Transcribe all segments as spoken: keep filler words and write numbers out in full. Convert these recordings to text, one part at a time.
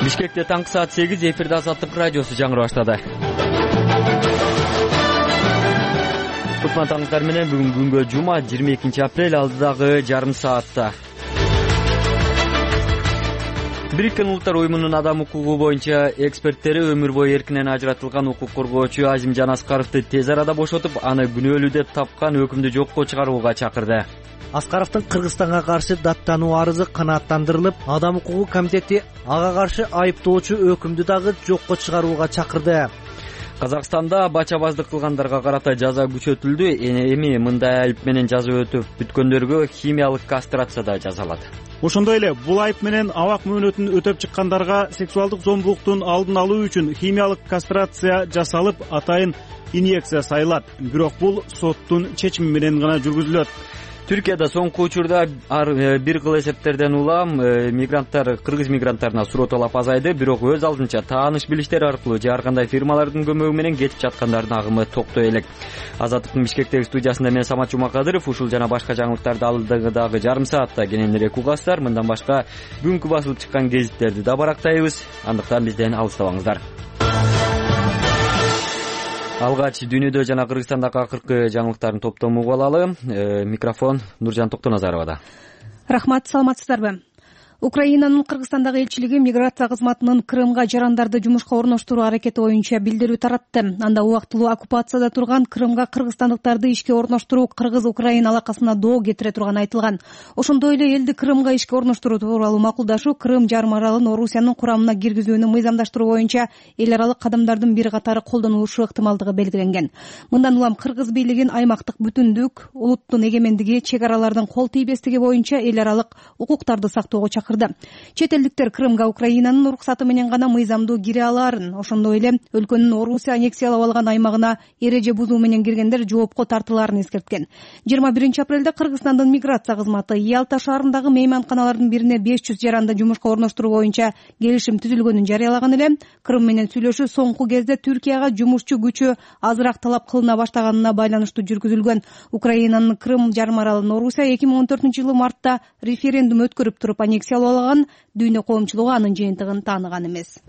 Бишкекте таңкы саат сегиз, эфирде Азаттык радиосу жаңырып баштады. Кутман таңыңыздар менен бүгүн күнгө жума жыйырма экинчи апрель, алдыдагы жарым саатта. Бириккен Улуттар уюмунун адам укугу боюнча эксперттери өмүр бою эркинен ажыратылган укук коргоочу Азимжан Аскаровду тез арада бошотуп, аны күнөөлүү деп тапкан өкүмдү жокко чыгарууга чакырды. Аскаровдун Кыргызстанга каршы даттануу арызы канааттандырылып, Адам укугу комитети ага каршы айыптоочу өкүмдү дагы жокко чыгарууга чакырды. Казакстанда бачабаздык кылгандарга карата жаза күчөтүлдү. Эми мындай айып менен жаза өтүп бүткөндөргө химиялык кастрация да жасалат. Ошондой эле бул айып менен абак мөөнөтүн өтөп чыккандарга сексуалдык зомбулуктун алдын алуу үчүн химиялык кастрация жасалып, атайын инъекция сайылат. Бирок бул соттун чечими менен гана жүргүзүлөт. Түркияда соңку учурда бир кыл эсептерден улам мигранттар, кыргыз мигранттарына суроо талап азайды, бирок өз алдынча тааныш билиштер аркылуу же ар кандай фирмалардын көмөгү менен кетип жаткандардын агымы токтой элек. Азаттыктын Бишкектеги студиясында мен Самат Жумакадыров, ушул жана башка жаңылыктарды алдыдагы жарым саатта кененирээк угасыздар. Мындан башка бүгүнкү басылып чыккан гезиттерди да барактайбыз. Андыктан бизден алыстабаңыздар. Алгач дүйнөдө жана Кыргызстандагы акыркы жаңылыктардын топтомун угуп алалы. Микрофон Нуржан Токтоназаровада. Рахмат, саламатсыздарбы? Украинанын Кыргызстандагы элчилиги миграция кызматынын Крымга жарандарды жумушка орноштуруу аракети боюнча билдирүү таратты. Анда убактылуу оккупацияда турган Крымга кыргызстандыктарды ишке орноштуруу Кыргыз-Украин алакасына доо кетире турганы айтылган. Ошондой эле элди Крымга ишке орноштуруу тууралуу макулдашуу Крым жарым аралын Орусиянын курамына киргизүүнү мыйзамдаштыруу боюнча эл аралык кадамдардын бир катары колдонулушу ыктымалдыгы белгиленген. Мындан улам Кыргыз бийлигин аймактык бүтүндүк, улуттун эгемендиги, чек аралардын кол тийбестиги боюнча эл аралык укуктарды сактоого чакырды. Чет элдиктер Крымга Украинанын уруксаты менен гана мыйзамдуу кире алаарын, ошондой эле өлкөнүн Орусия аннексиялап алган аймагына эреже бузуу менен киргендер жоопко тартылаарын эскерткен. жыйырма биринчи апрелде Кыргызстандын миграция кызматы Ялта шаарындагы мейманканалардын бирине беш жүз жаранды жумушка орноштуруу боюнча келишим түзүлгөнүн жарыялаган эле. Крым менен сүйлөшүү соңку кезде Түркияга жумушчу күчү азыраак талап кылына баштаганына байланыштуу жүргүзүлгөн. Украинанын Крым жарым аралын Орусия эки миң он төртүнчү жылы мартта референдум өткөрүп туруп аннексиялап алган. Дүйнө коомчулугу анын жыйынтыгын тааныган эмес.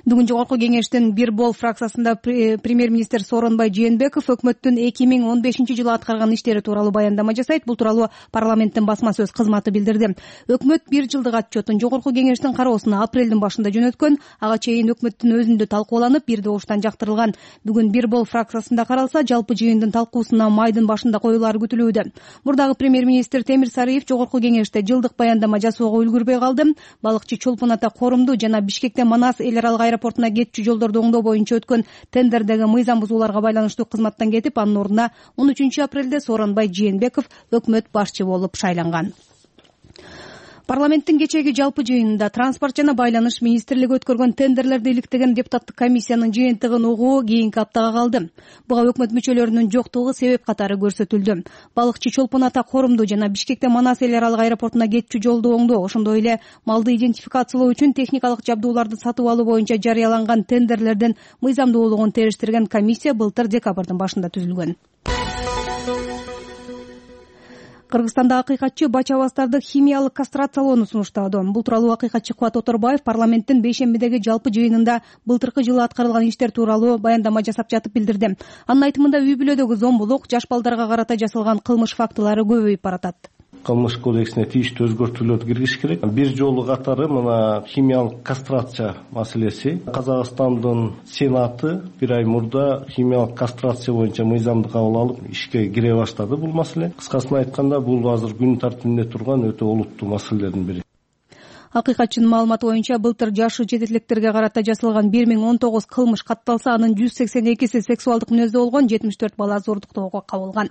Бүгүн жогорку кеңештин бир бол фракциясында премьер-министр Сооронбай Жээнбеков өкмөттүн эки миң он бешинчи жылы аткарган иштери тууралуу баяндама жасайт. Бул тууралуу парламенттин басма сөз кызматы билдирди. Өкмөт бир жылдык отчетун жогорку кеңештин кароосуна апрелдин башында жөнөткөн. Ага чейин өкмөттүн өзүндө талкууланып, бир добуштан жактырылган. Бүгүн бир бол фракциясында каралса, жалпы жыйындын талкуусуна майдын башында коюлары күтүлүүдө. Мурдагы премьер-министр Темир Сарыев жогорку кеңеште жылдык баяндама жасоого үлгүрбөй калды. Балыкчы Чолпон Ата корумду жана Бишкектен Манас эл аралык аэропортуна кетчү жолдорду оңдоо боюнча өткөн тендердеги мыйзам бузууларга байланыштуу кызматтан кетип, анын ордуна он үчүнчү апрелде Сооронбай Жээнбеков өкмөт башчы болуп шайланган. Парламенттин кечээги жалпы жыйынында транспорт жана байланыш министрлиги өткөргөн тендерлерди иликтеген депутаттык комиссиянын жыйынтыгын угуу кийинки аптага калды. Буга өкмөт мүчөлөрүнүн жоктугу себеп катары көрсөтүлдү. Балыкчы Чолпон Ата корумду жана Бишкектен Манас эл аралык аэропортуна кетчү жолду оңдоо, ошондой эле малды идентификациялоо үчүн техникалык жабдууларды сатып алуу боюнча жарыяланган тендерлердин мыйзамдуулугун териштирген комиссия былтыр декабрдын башында түзүлгөн. Кыргызстанда акыйкатчы бачабаздарды химиялык кастрациялоону сунуштады. Бул тууралуу акыйкатчы Кубат Оторбаев парламенттин бейшембидеги жалпы жыйынында былтыркы жылы аткарылган иштер тууралуу баяндама жасап жатып билдирди. Анын айтымында үй бүлөдөгү зомбулук, жаш балдарга карата жасалган кылмыш фактылары көбөйүп баратат. Кылмыш кодексине тийиштүү өзгөртүүлөрдү киргизиш керек. Бир жолу катары мына химиялык кастрация маселеси. Казакстандын Сенаты бир ай мурда химиялык кастрация боюнча мыйзамды кабыл алып, ишке кире баштады бул маселе. Кыскасын айтканда, бул азыр күн тартибинде турган өтө олуттуу маселелердин бири. Акыйкатчынын маалыматы боюнча былтыр жашы жетиштиктерге карата жасалган бир миң он тогуз кылмыш катталса, анын жүз сексен экиси сексуалдык мүнөздө болгон, жетимиш төрт бала зордуктоого кабылган.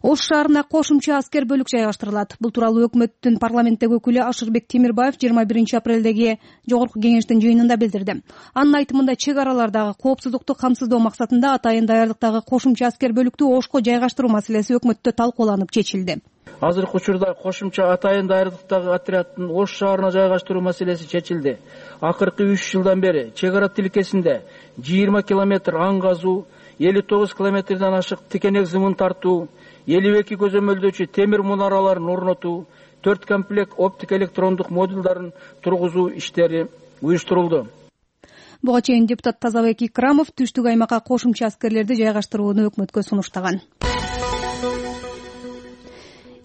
Ош шаарына кошумча аскер бөлүк жайгаштырылат. Бул тууралуу өкмөттүн парламенттеги өкүлү Ашырбек Темирбаев жыйырма биринчи апрелдеги жогорку кеңештин жыйынында билдирди. Анын айтымында чек аралардагы коопсуздукту камсыздоо максатында атайын даярдыктагы кошумча аскер бөлүктү Ошко жайгаштыруу маселеси өкмөттө талкууланып чечилди. Азыркы учурда кошумча атайын даярдыктагы отряддын Ош шаарына жайгаштыруу маселеси чечилди. Акыркы үч жылдан бери чек ара тилкесинде жыйырма километр аң казуу, элүү тогуз километрден ашык тикенек зымын тартуу, элүү эки көзөмөлдөөчү темир мунараларын орнотуу, төрт комплект оптик электрондук модулдарын тургузуу иштери уюштурулду. Буга чейин депутат Тазабек Икрамов түштүк аймакка кошумча аскерлерди жайгаштырууну өкмөткө сунуштаган.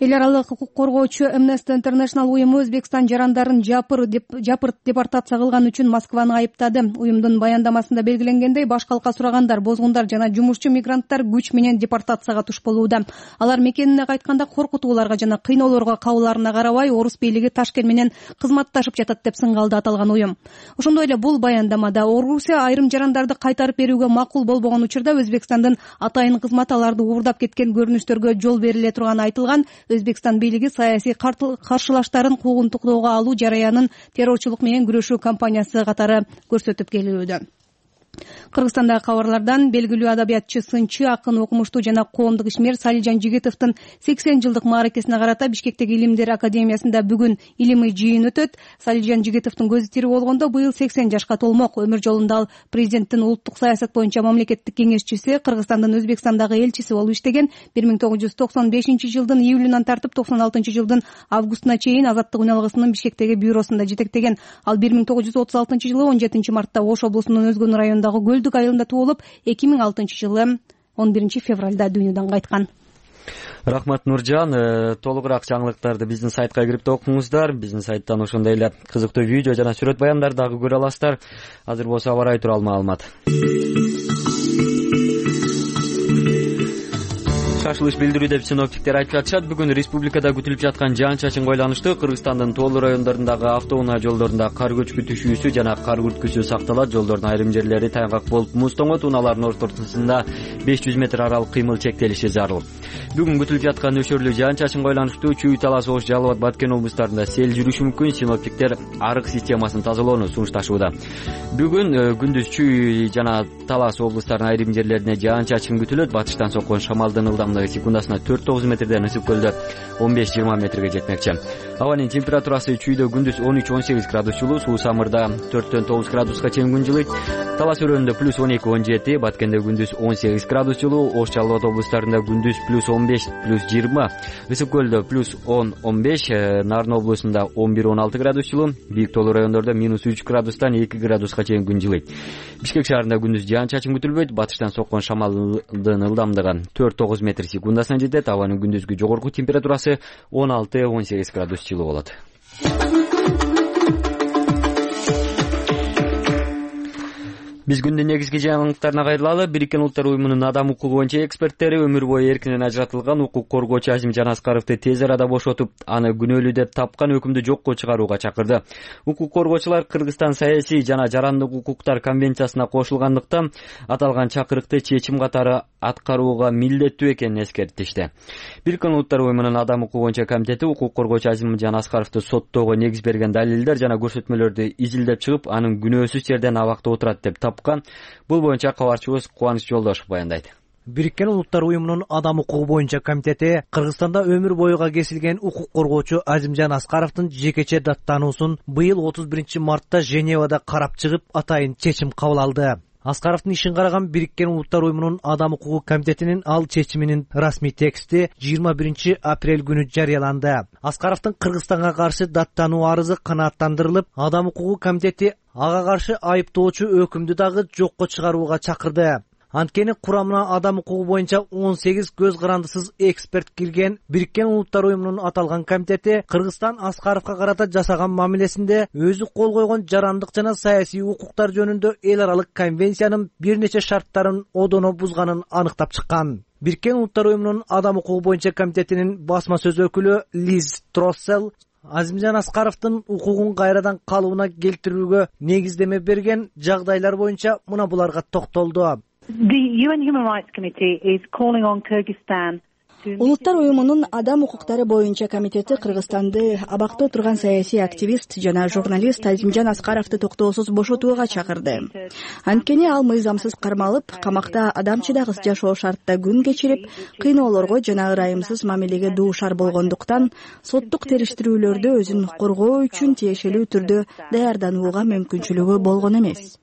Эл аралык укук коргоочу Amnesty International уюму Өзбекстан жарандарын жапыр деп жапырт депортация кылган үчүн Москваны айыптады. Уюмдун баяндамасында белгиленгендей, баш калка сурагандар, бозгундар жана жумушчу мигранттар күч менен депортацияга туш болууда. Алар мекенине кайтканда коркутууларга жана кыйноолорго кабыларына карабай, орус бийлиги Ташкент менен кызматташып жатат деп сынгалды аталган уюм. Ошондой эле бул баяндамада Орусия айрым жарандарды кайтарып берүүгө макул болбогон учурда Өзбекстандын атайын кызматы аларды уурдап кеткен көрүнүштөргө жол бериле турганы айтылган. Өзбекстан бийлиги саясий каршылаштарын куугунтуктоого алуу жараянын террорчулук менен күрөшүү кампаниясы катары көрсөтүп келүүдө. Кыргызстандагы кабарлардан белгилүү адабиятчы, сынчы, акын, окумуштуу жана коомдук ишмер Салижан Жигитовдун сексен жылдык мааракесине карата Бишкектеги Илимдер академиясында бүгүн илимий жыйын өтөт. Салижан Жигитовдун көзү тирүү болгондо быйыл сексен жашка толмок. Өмүр жолунда ал президенттин улуттук саясат боюнча мамлекеттик кеңешчиси, Кыргызстандын Өзбекстандагы элчиси болуп иштеген. бир миң тогуз жүз токсон бешинчи жылдын июлунан тартып токсон алтынчы жылдын августуна чейин Азаттык үналгысынын Бишкектеги бюросунда жетектеген. Ал бир миң тогуз жүз отуз алтынчы жылы он жетинчи мартта Ош облусунун Өзгөн районундагы Көлдүк айылында туулуп, эки миң алтынчы жылы он биринчи февралда дүйнөдөн кайткан. Рахмат Нуржан. Толугураак жаңылыктарды биздин сайтка кирип окуңуздар. Биздин сайттан ошондой эле кызыктуу видео жана сүрөт баяндарды дагы көрө аласыздар. Азыр болсо аба ырайы тууралуу маалымат. Шашылыш билдирүү деп синоптиктер айтып жатышат. Бүгүн республикада күтүлүп жаткан жаан-чачын койланышты. Кыргызстандын тоолуу райондорундагы автоунаа жолдорунда кар көчкү түшүүсү жана кар күрткүсү сакталат. Жолдордун айрым жерлери тайгак болуп муз тоңот. Унаалардын ортосунда беш жүз метр аралык кыймыл чектелиши зарыл. Бүгүн күтүлүп жаткан нөшөрлүү жаан-чачын койланышты Чүй, Талас, Ош, Жалал Абад, Баткен облустарында сел жүрүшү мүмкүн. Синоптиктер арык системасын тазалоону сунушташууда. Бүгүн күндүз Чүй жана Талас облустарынын айрым жерлерине жаан-чачын күтүлөт. Батыштан соккон шамалдын ылдамдыгы секундасына төрт тогуз метрден, ысык көлдө он беш жыйырма метрге жетмекчи. Абанын температурасы Чүйдө күндүз он үч он сегиз градус жылуу, суу самырда төрттөн тогуз градуска чейин күн жылыйт. Талас өрөөнүндө плюс он эки он жети, Баткенде күндүз он сегиз градус жылуу, Ош, Жалал Абад облустарында күндүз плюс он беш плюс жыйырма, ысык көлдө плюс он он беш, Нарын облусунда он бир он алты градус жылуу, бийик тоолуу райондордо минус үч градустан эки градуска чейин күн жылыйт. Бишкек шаарында күндүз жаан-чачын күтүлбөйт. Батыштан соккон шамалдын ылдамдыгы төрт тогуз метр секундасына жетет. Абанын күндүзгү жогорку температурасы он алты он сегиз градус жылуу болот. Биз күндүн негизги жаңылыктарына кайрылалы. Бириккен Улуттар уюмунун адам укугу боюнча эксперттери өмүр бою эркинен ажыратылган укук коргоочу Азимжан Аскаровду тез арада бошотуп, аны күнөөлүү деп тапкан өкүмдү жокко чыгарууга чакырды. Укук коргоочулар Кыргызстан саясий жана жарандык укуктар конвенциясына кошулгандыктан аталган чакырыкты чечим катары аткарууга милдеттүү экенин эскертишти. Бириккен Улуттар уюмунун адам укугу боюнча комитети укук коргоочу Азимжан Аскаровду соттоого негиз берген далилдер жана көрсөтмөлөрдү изилдеп чыгып, анын күнөөсүз жерден абакта отурат деп тапкан. Бул боюнча кабарчыбыз Кубаныч Жолдошов баяндайт. Бириккен Улуттар уюмунун адам укугу боюнча комитети Кыргызстанда өмүр боюга кесилген укук коргоочу Азимжан Аскаровдун жекече даттануусун быйыл отуз биринчи мартта Женевада карап чыгып, атайын чечим кабыл алды. Аскаровдун ишин караган Бириккен Улуттар уюмунун адам укугу комитетинин ал чечиминин расмий тексти жыйырма биринчи апрель күнү жарыяланды. Аскаровдун Кыргызстанга каршы даттануу арызы канааттандырылып, адам укугу комитети ага каршы айыптоочу өкүмдү дагы жокко чыгарууга чакырды. Анткени курамына адам укугу боюнча он сегиз көз карандысыз эксперт кирген Бириккен Улуттар уюмунун аталган комитети Кыргызстан Аскаровго карата жасаган мамилесинде өзү кол койгон жарандык жана саясий укуктар жөнүндө эл аралык конвенциянын бир нече шарттарын одоно бузганын аныктап чыккан. Бириккен Улуттар уюмунун адам укугу боюнча комитетинин басма сөз өкүлү Лиз Троссел Азимжан Аскаровдун укугун кайрадан калыбына келтирүүгө негиздеме берген жагдайлар боюнча мына буларга токтолду. The U N Human Rights Committee is calling on Kyrgyzstan. Улуттар уюмунун адам укуктары боюнча комитети Кыргызстанды абакта отурган саясий активист жана журналист Азимжан Аскаровду токтоосуз бошотууга чакырды. Анткени ал мыйзамсыз кармалып, камакта адамчыдагыс жашоо шартта күн кечирип, кыйноолорго жана ырайымсыз мамилеге дуушар болгондуктан соттук териштирүүлөрдү өзүн коргоо үчүн тиешелүү түрдө даярданууга мүмкүнчүлүгү болгон эмес.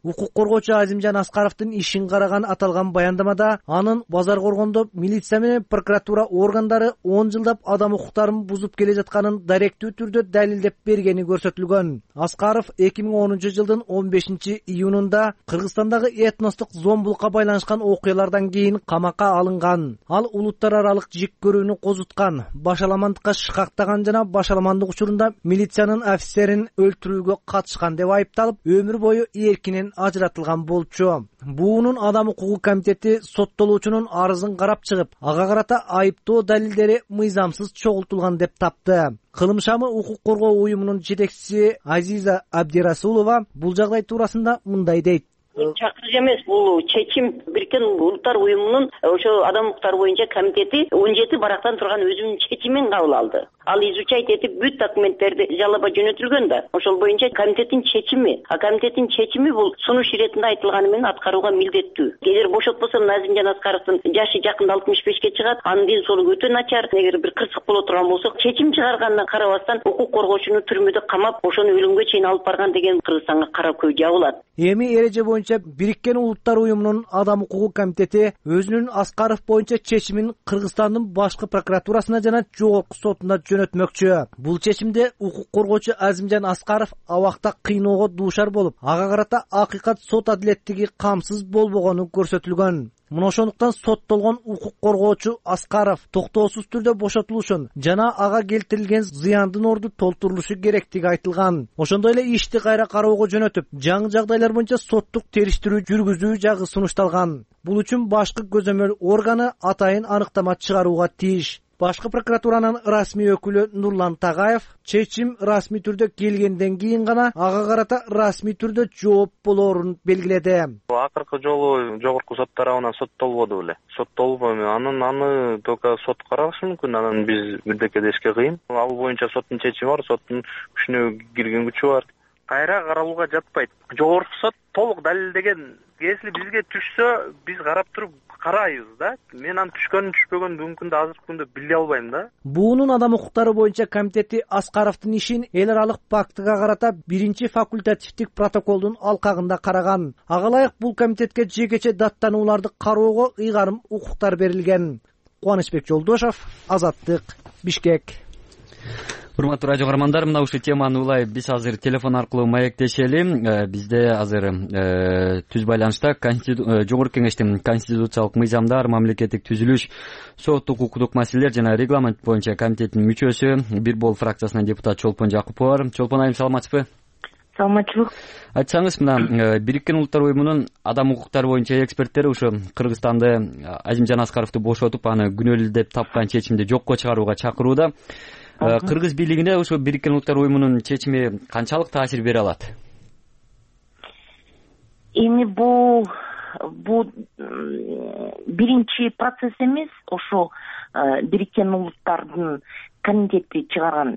укук коргоочу Азимжан Аскаровдун ишин караган аталган баяндамада анын базар коргондо милиция менен прокуратура органдары он жылдап адам укуктарын бузуп келе жатканын даректүү түрдө далилдеп бергени көрсөтүлгөн. Аскаров эки миң онунчу жылдын он бешинчи июнунда Кыргызстандагы этностук зомбулукка байланышкан окуялардан кийин камакка алынган. Ал улуттар аралык жек көрүүнү козуткан, башаламандыкка шыкактаган жана башаламандык учурунда милициянын офицерин өлтүрүүгө катышкан деп айыпталып, өмүр бою эркинен ажыратылган болчу. Буунун Адам укугу комитети соттолуучунун арызын карап чыгып, ага карата айыптоо далилдери мыйзамсыз чогултулган деп тапты. Кылымшамы укук коргоо уюмунун жетекчиси Азиза Абдирасулова бул жагдай туурасында мындай дейт. Чакырык эмес, бул чечим Бириккен Улуттар уюмунун ошо адам укуктары боюнча комитети он жети барактан турган өзүнүн чечимин кабыл алды. Ал изучать этип бүт документтерди жалоба жөнөтүлгөн да. Ошол боюнча комитеттин чечими, а комитеттин чечими бул сунуш иретинде айтылганы менен аткарууга милдеттүү. Эгер бошотпосо Азимжан Аскаровдун жашы жакында алтымыш бешке чыгат, анын ден соолугу өтө начар. Эгер бир кырсык боло турган болсо, чечим чыгарганына карабастан укук коргоочуну түрмөдө камап, ошону өлүмгө чейин алып барган деген Кыргызстанга кара көй жабылат. Эми эреже боюнча Бириккен Улуттар уюмунун Адам укугу комитети өзүнүн Аскаров боюнча чечимин Кыргызстандын башкы прокуратурасына жана жогорку сотуна жөнөтмөкчү. Бул чечимде укук коргоочу Азимжан Аскаров абакта кыйноого дуушар болуп, ага карата акыйкат сот адилеттиги камсыз болбогону көрсөтүлгөн. Мына ошондуктан соттолгон укук коргоочу Аскаров токтоосуз түрдө бошотулушун жана ага келтирилген зыяндын орду толтурулушу керектиги айтылган. Ошондой эле ишти кайра кароого жөнөтүп, жаңы жагдайлар боюнча соттук териштирүү жүргүзүү жагы сунушталган. Бул үчүн башкы көзөмөл органы атайын аныктама чыгарууга тийиш. Башкы прокуратуранын расмий өкүлү Нурлан Тагаев чечим расмий түрдө келгенден кийин гана ага карата расмий түрдө жооп болоорун белгиледи. Акыркы жолу жогорку сот тарабынан соттолбоду беле. Соттолбойм, анын аны только сот карашы мүмкүн, анан биз бирдеке дешке кыйын. Ал боюнча соттун чечими бар, соттун күчүнө кирген күчү бар. Кайра каралууга жатпайт. Жогорку сот толук далилдеген. Если бизге түшсө, биз карап туруп карайбыз да. Мен анын түшкөнүн түшпөгөнүн мүмкүн да азыркы күндө биле албайм да. Буунун адам укуктары боюнча комитети Аскаровдун ишин эл аралык пактыга карата биринчи факультативдик протоколдун алкагында караган. Ага ылайык бул комитетке жекече даттанууларды кароого ыйгарым укуктар берилген. Кубанычбек Жолдошов, Азаттык, Бишкек. Урматтуу радио каармандар, мына ушул теманы улай биз азыр телефон аркылуу маектешели. Бизде азыр түз байланышта Жогорку Кеңештин конституциялык мыйзамдар, мамлекеттик түзүлүш, соттук укуктук маселелер жана регламент боюнча комитеттин мүчөсү, бир бол фракциясынан депутат Чолпон Жакупова бар. Чолпон айым, саламатсызбы? Саламатчылык. Айтсаңыз, мына Бириккен Улуттар уюмунун адам укуктары боюнча эксперттери ушу Кыргызстанды Азимжан Аскаровду бошотуп, аны күнөөлүү деп тапкан чечимди жокко чыгарууга чакырууда. Кыргыз бийлигине ошо Бириккен Улуттар уюмунун чечими канчалык таасир бере алат? Эми бул бул биринчи процесс эмес, ошо Бириккен Улуттардын комитети чыгарган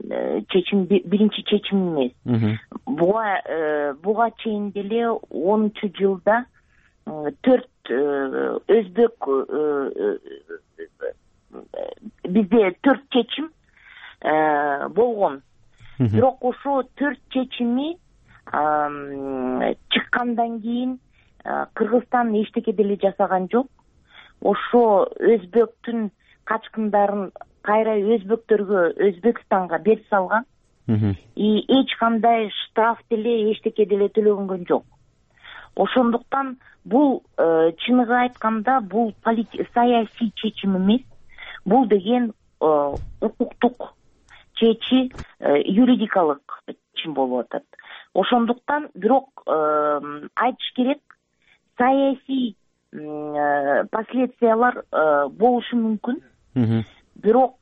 чечим биринчи чечим эмес. Буга буга чейин деле онунчу жылда төрт өзбек бизде төрт чечим болгон. Бирок ошо төрт чечими чыккандан кийин Кыргызстан эчтеке деле жасаган жок. Ошо өзбектүн качкындарын кайра өзбектөргө, Өзбекстанга берип салган. И эч кандай штраф деле, эчтеке деле төлөнгөн жок. Ошондуктан бул чыныгы айтканда бул саясий чечим эмес. Бул деген укуктук чечи, юридикалык чечим болуп атат. Ошондуктан бирок айтыш керек, саясий последствиялар болушу мүмкүн. Бирок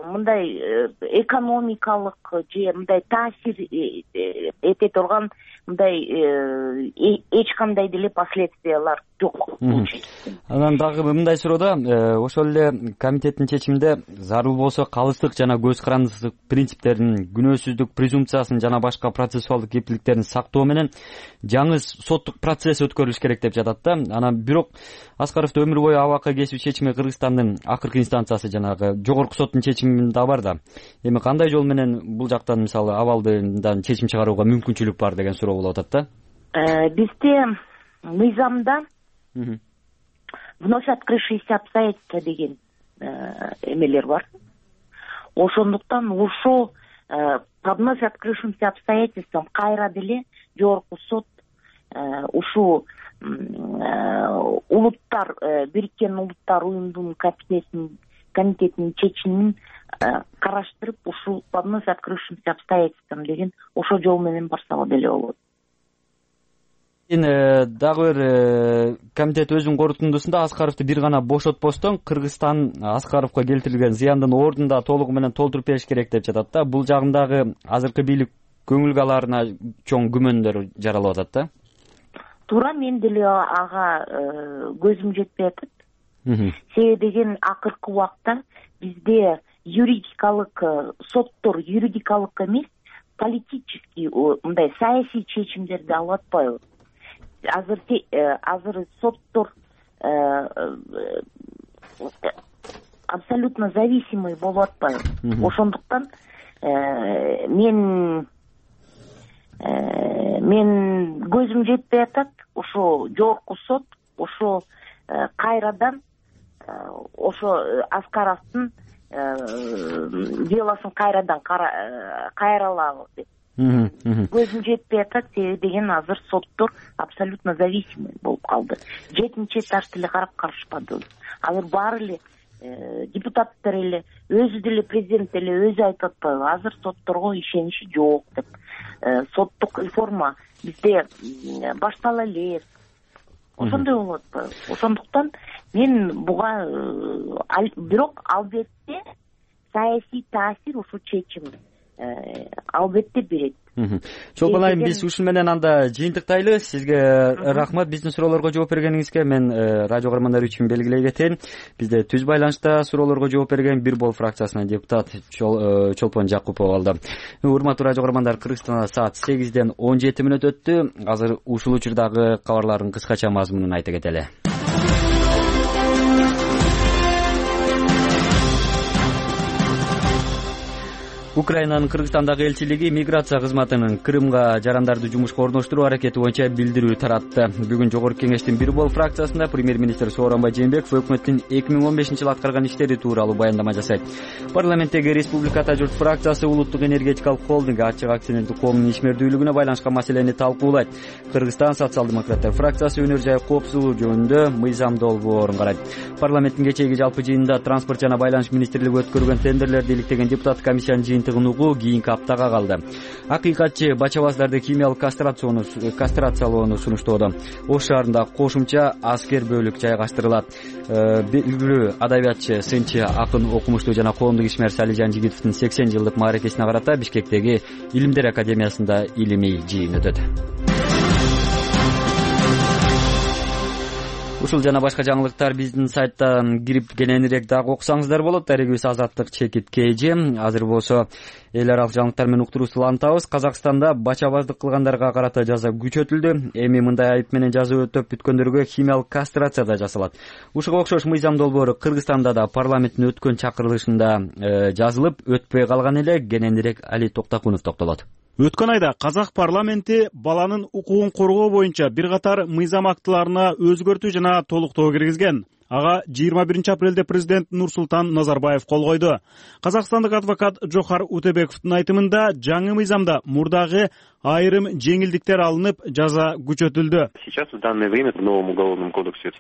мындай экономикалык же мындай таасир эте турган мындай эч кандай деле последствиялар жок. Анан дагы мындай суроо, ошол эле комитеттин чечиминде зарыл болсо калыстык жана көз карандысыздык принциптерин, күнөөсүздүк презумпциясын жана башка процессуалдык кепилдиктерин сактоо менен жаңы соттук процесс өткөрүлүш керек деп жатат да. Анан бирок Аскаровду өмүр бою абакка кесүү чечими Кыргызстандын акыркы инстанциясы жанагы жогорку соттун чечиминде бар да. Эми кандай жол менен бул жактан мисалы абалдан чечим чыгарууга мүмкүнчүлүк бар деген суроо болуп атат да. бизде мыйзамда вновь открывшиеся обстоятельства деген эмелер бар. Ошондуктан ошол по вновь открывшимся обстоятельствам кайра деле жогорку сот ушул улуттар Бириккен Улуттар Уюмунун комитетинин чечимин караштырып ушул по вновь открывшимся обстоятельствам деген ошол жол менен барсак деле болот. Дагы бир комитет өзүнүн корутундусунда Аскаровду бир гана бошотпостон Кыргызстан Аскаровго келтирилген зыяндын ордунда толугу менен толтуруп бериш керек деп жатат да. Бул жагындагы азыркы бийлик көңүлгө аларына чоң күмөндөр жаралып атат да. Туура, мен деле ага көзүм жетпей атат. Себеби деген акыркы убакта бизде юридикалык соттор юридикалык эмес, политический мындай саясий чечимдерди алып атпайбы? Азыр азыр соттор абсолютно зависимый болуп атпайбы? Ошондуктан мен мен көзүм жетпей атат. Ошо жогорку сот ошо кайрадан ошо Аскаровдун делосун кайрадан кайралабы деп көзүм жетпей атат. Себеби деген азыр соттор абсолютно зависимый болуп калды. Жетинчи этаж деле карап карышпады. Азыр баары эле депутаттар эле өзү деле президент деле өзү айтып атпайбы? Азыр сотторго ишенич жок деп. Соттук реформа бизде баштала элек. Ошондой болуп атпайбы? Ошондуктан мен буга бирок албетте саясий таасир ушул чечим албетте берет. Чолпон айым, биз ушун менен анда жыйынтыктайлы. Сизге рахмат биздин суроолорго жооп бергениңизге. Мен радио каармандары үчүн белгилей кетейин. Бизде түз байланышта суроолорго жооп берген Бир Бол фракциясынын депутат Чолпон Жакупов алды. Урматтуу радио каармандар, Кыргызстанда саат сегизден он жети мүнөт өттү. Азыр ушул учурдагы кабарлардын кыскача мазмунун айта кетели. Украинанын Кыргызстандагы элчилиги миграция кызматынын Крымга жарандарды жумушка орноштуруу аракети боюнча билдирүү таратты. Бүгүн Жогорку Кеңештин Бир Бол фракциясында премьер-министр Сооронбай Жээнбеков өкмөттүн эки миң он бешинчи жылы аткарган иштери тууралуу баяндама жасайт. Парламенттеги Республика Ата журт фракциясы улуттук энергетикалык холдинг ачык акционердик коомунун ишмердүүлүгүнө байланышкан маселени талкуулайт. Кыргызстан социал-демократтар фракциясы өнөр жай коопсуздугу жөнүндө мыйзам долбоорун карайт. Парламенттин кечээги жалпы жыйынында транспорт жана байланыш министрлиги өткөргөн тендерлерди иликтеген депутат комиссиянын жыйынтыгын угуу кийинки аптага калды. Акыйкатчы бача-баздарды химиялык кастрацияны кастрациялоону сунуштоодо. Ош шаарында кошумча аскер бөлүк жайгаштырылат. Белгилүү адабиятчы, сынчы, акын, окумуштуу жана коомдук ишмер Салижан Жигитовдун сексен жылдык мааракесине карата Бишкектеги Илимдер академиясында илимий жыйын өтөт. Ушул жана башка жаңылыктар биздин сайттан кирип кененирээк дагы окусаңыздар болот. Дарегибиз Азаттык чекит кж. Азыр болсо эл аралык жаңылыктар менен уктуруусу улантабыз. Казакстанда бача-баздык кылгандарга карата жаза күчөтүлдү. Эми мындай айып менен жаза өтөп бүткөндөргө химиялык кастрация да жасалат. Ушуга окшош мыйзам долбоору Кыргызстанда да парламенттин өткөн чакырылышында жазылып өтпөй калган эле. Кененирээк Али Токтакунов токтолот. Өткөн айда Казак парламенти баланын укугун коргоо боюнча бир катар мыйзам актыларына өзгөртүү жана толуктоо киргизген. Ага жыйырма биринчи апрелде президент Нурсултан Назарбаев кол койду. Казакстандык адвокат Жохар Утебековдун айтымында жаңы мыйзамда мурдагы айрым жеңилдиктер алынып, жаза күчөтүлдү.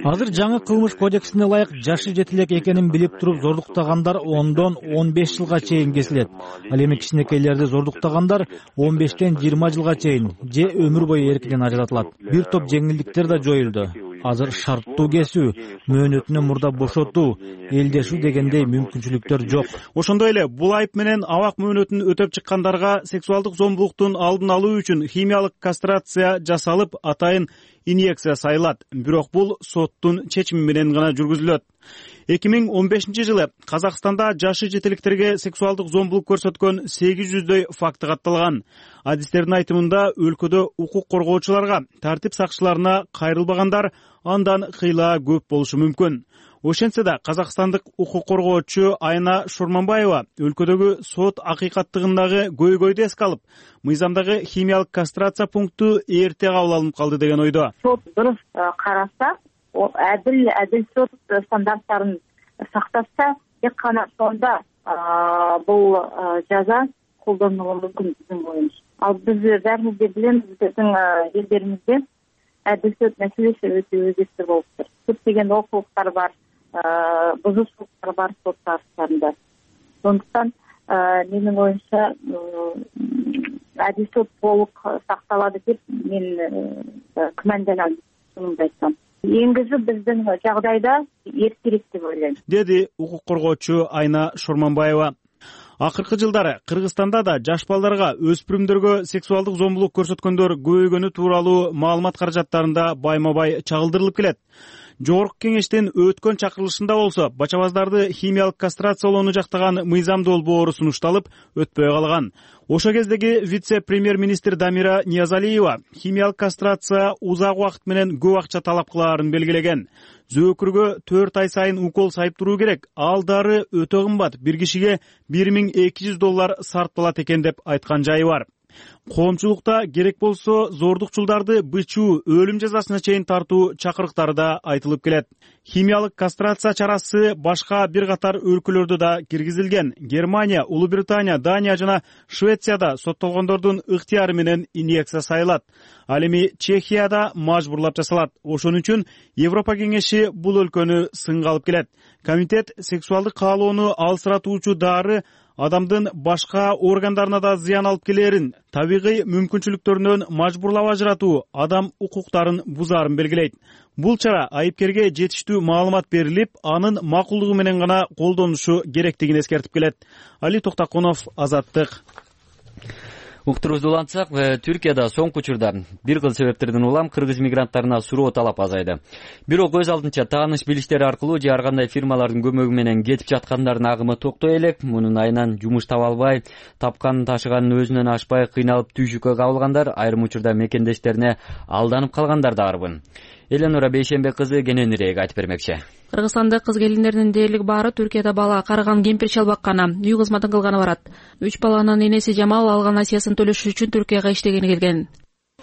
Азыр жаңы кылмыш кодексине ылайык жашы жетилек экенин билип туруп зордуктагандар ондон он беш жылга чейин кесилет. Ал эми кичинекейлерди зордуктагандар он бештен жыйырма жылга чейин же өмүр бою эркинен ажыратылат. Бир топ жеңилдиктер да жоюлду. Азыр шарттуу кесүү, мөөнөтүнөн мурда бошотуу, элдешүү дегендей мүмкүнчүлүктөр жок. Ошондой эле бул айып менен абак мөөнөтүн өтөп чыккандарга сексуалдык зомбулуктун алдын алуу үчүн химиялык кастрация жасалып, атайын инъекция сайылат. Бирок бул соттун чечими менен гана жүргүзүлөт. эки миң он бешинчи жылы Казакстанда жашы жетиликтерге сексуалдык зомбулук көрсөткөн сегиз жүздөй факты катталган. Адистердин айтымында өлкөдө укук коргоочуларга, тартип сакчыларына кайрылбагандар андан кыйла көп болушу мүмкүн. Ошентсе да казакстандык укук коргоочу Айна Шорманбаева өлкөдөгү сот акыйкаттыгындагы көйгөйдү эске алып, мыйзамдагы химиялык кастрация пункту эрте кабыл алынып калды деген ойдо. Сот дурус караса, адил адил сот стандарттарын сактаса, тек гана сонда бул жаза колдонулушу мүмкүн биздин боюнча. Ал биз баарыбыз билебиз, биздин элдеримизде адил сот маселеси өтө өзекти болуптур. Көптөгөн олкулуктар бар, бузушулуктар бар сот тарыхтарында. Сондуктан менин оюмча адил сот толук сакталады деп мен күмөнданам, шынымды айтсам. Эңгизүү биздин жагдайда эртерээк деп ойлойм, деди укук коргоочу Айна Шорманбаева. Акыркы жылдары Кыргызстанда да жаш балдарга, өспүрүмдөргө сексуалдык зомбулук көрсөткөндөр көбөйгөнү тууралуу маалымат каражаттарында байма-бай чагылдырылып келет. Жогорку кеңештин өткөн чакырылышында болсо бача баздарды химиялык кастрациялоону жактаган мыйзам долбоору сунушталып, өтпөй калган. Ошо кездеги вице-премьер-министр Дамира Ниязалиева химиялык кастрация узак убакыт менен көп акча талап кылаарын белгилеген. Зөөкүргө төрт ай сайын укол сайып туруу керек. Ал дары өтө кымбат, бир кишиге бир миң эки жүз доллар сарпталат экен деп айткан жайы бар. Коомчулукта керек болсо зордукчулдарды бычуу, өлүм жазасына чейин тартуу чакырыктары да айтылып келет. Химиялык кастрация чарасы башка бир катар өлкөлөрдө да киргизилген. Германия, Улуу Британия, Дания жана Швецияда соттолгондордун ыктыяры менен инъекция сайылат. Ал эми Чехияда мажбурлап жасалат. Ошон үчүн Европа кеңеши бул өлкөнү сынга алып келет. Комитет сексуалдык каалоону алсыратуучу дары адамдын башка органдарына да зыян алып келерин, табигый мүмкүнчүлүктөрүнөн мажбурлап ажыратуу, адам укуктарын бузаарын белгилейт. Бул чара айыпкерге жетиштүү маалымат берилип, анын макулдугу менен гана колдонушу керектигин эскертип келет. Али Токтокунов, Азаттык. Уктурубузду улантсак, Түркияда соңку учурда бир кыл себептерден улам кыргыз мигранттарына суроо талап азайды. Бирок өз алдынча тааныш билиштери аркылуу же ар кандай фирмалардын көмөгү менен кетип жаткандардын агымы токтой элек. Мунун айынан жумуш таба албай, тапканын ташыганын өзүнөн ашпай кыйналып түйшүккө кабылгандар, айрым учурда мекендештерине алданып калгандар да барбын. Эленора Бейшембек кызы кененирээк айтып бермекчи. Кыргызстандык кыз келиндердин дээрлик баары Түркияда бала карыган кемпир чал бакканы, үй кызматын кылганы барат. Үч баланын энеси Жамал алган насыясын төлөш үчүн Түркияга иштегени келген.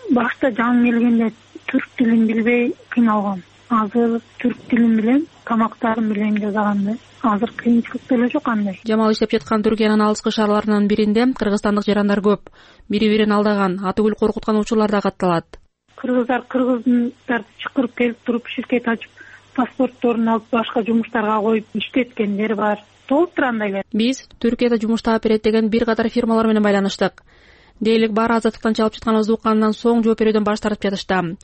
Башта жаным келгенде түрк тилин билбей кыйналгам. Азыр түрк тилин билем, тамактарын билем жасаганды. Азыр кыйынчылык деле жок андай. Жамал иштеп жаткан Түркиянын алыскы шаарларынын биринде кыргызстандык жарандар көп. Бири-бирин алдаган, атүгүл коркуткан учурлар да катталат. Кыргыздар кыргыздарды чакырып келип туруп ширкет ачып, паспортторун алып башка жумуштарга коюп иштеткендер бар. Толуп андайлар. Биз Түркияда жумуш таап берет деген бир катар фирмалар менен байланыштык. Дээрлик баары азаттыктан чалып жатканыбызды уккандан соң жооп берүүдөн баш тартып жатышты.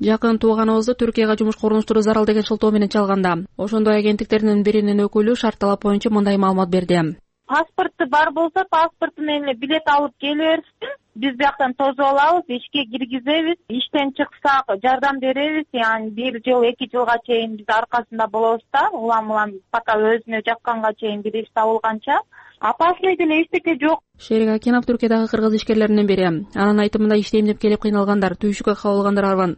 Жакын тууганыбызды Түркияга жумуш корунуштуруу зарыл деген шылтоо менен чалганда. Ошондой агенттиктердин биринин өкүлү шарт талап боюнча мындай маалымат берди. Паспорту бар болсо, паспорту менен билет алып келе берсин. Биз бияктан тосуп алабыз, ишке киргизебиз, иштен чыксак жардам беребиз. Яни бир жыл, эки жылга чейин биз аркасында болобуз да, улам-улам пока өзүнө жакканга чейин бир иш табылганча. Апасындай деле эчтеке жок. Шерик Акинов Түркиядагы кыргыз ишкерлеринен бири. Анын айтымында иштейм деп келип кыйналгандар, түйшүккө кабылгандар арбан.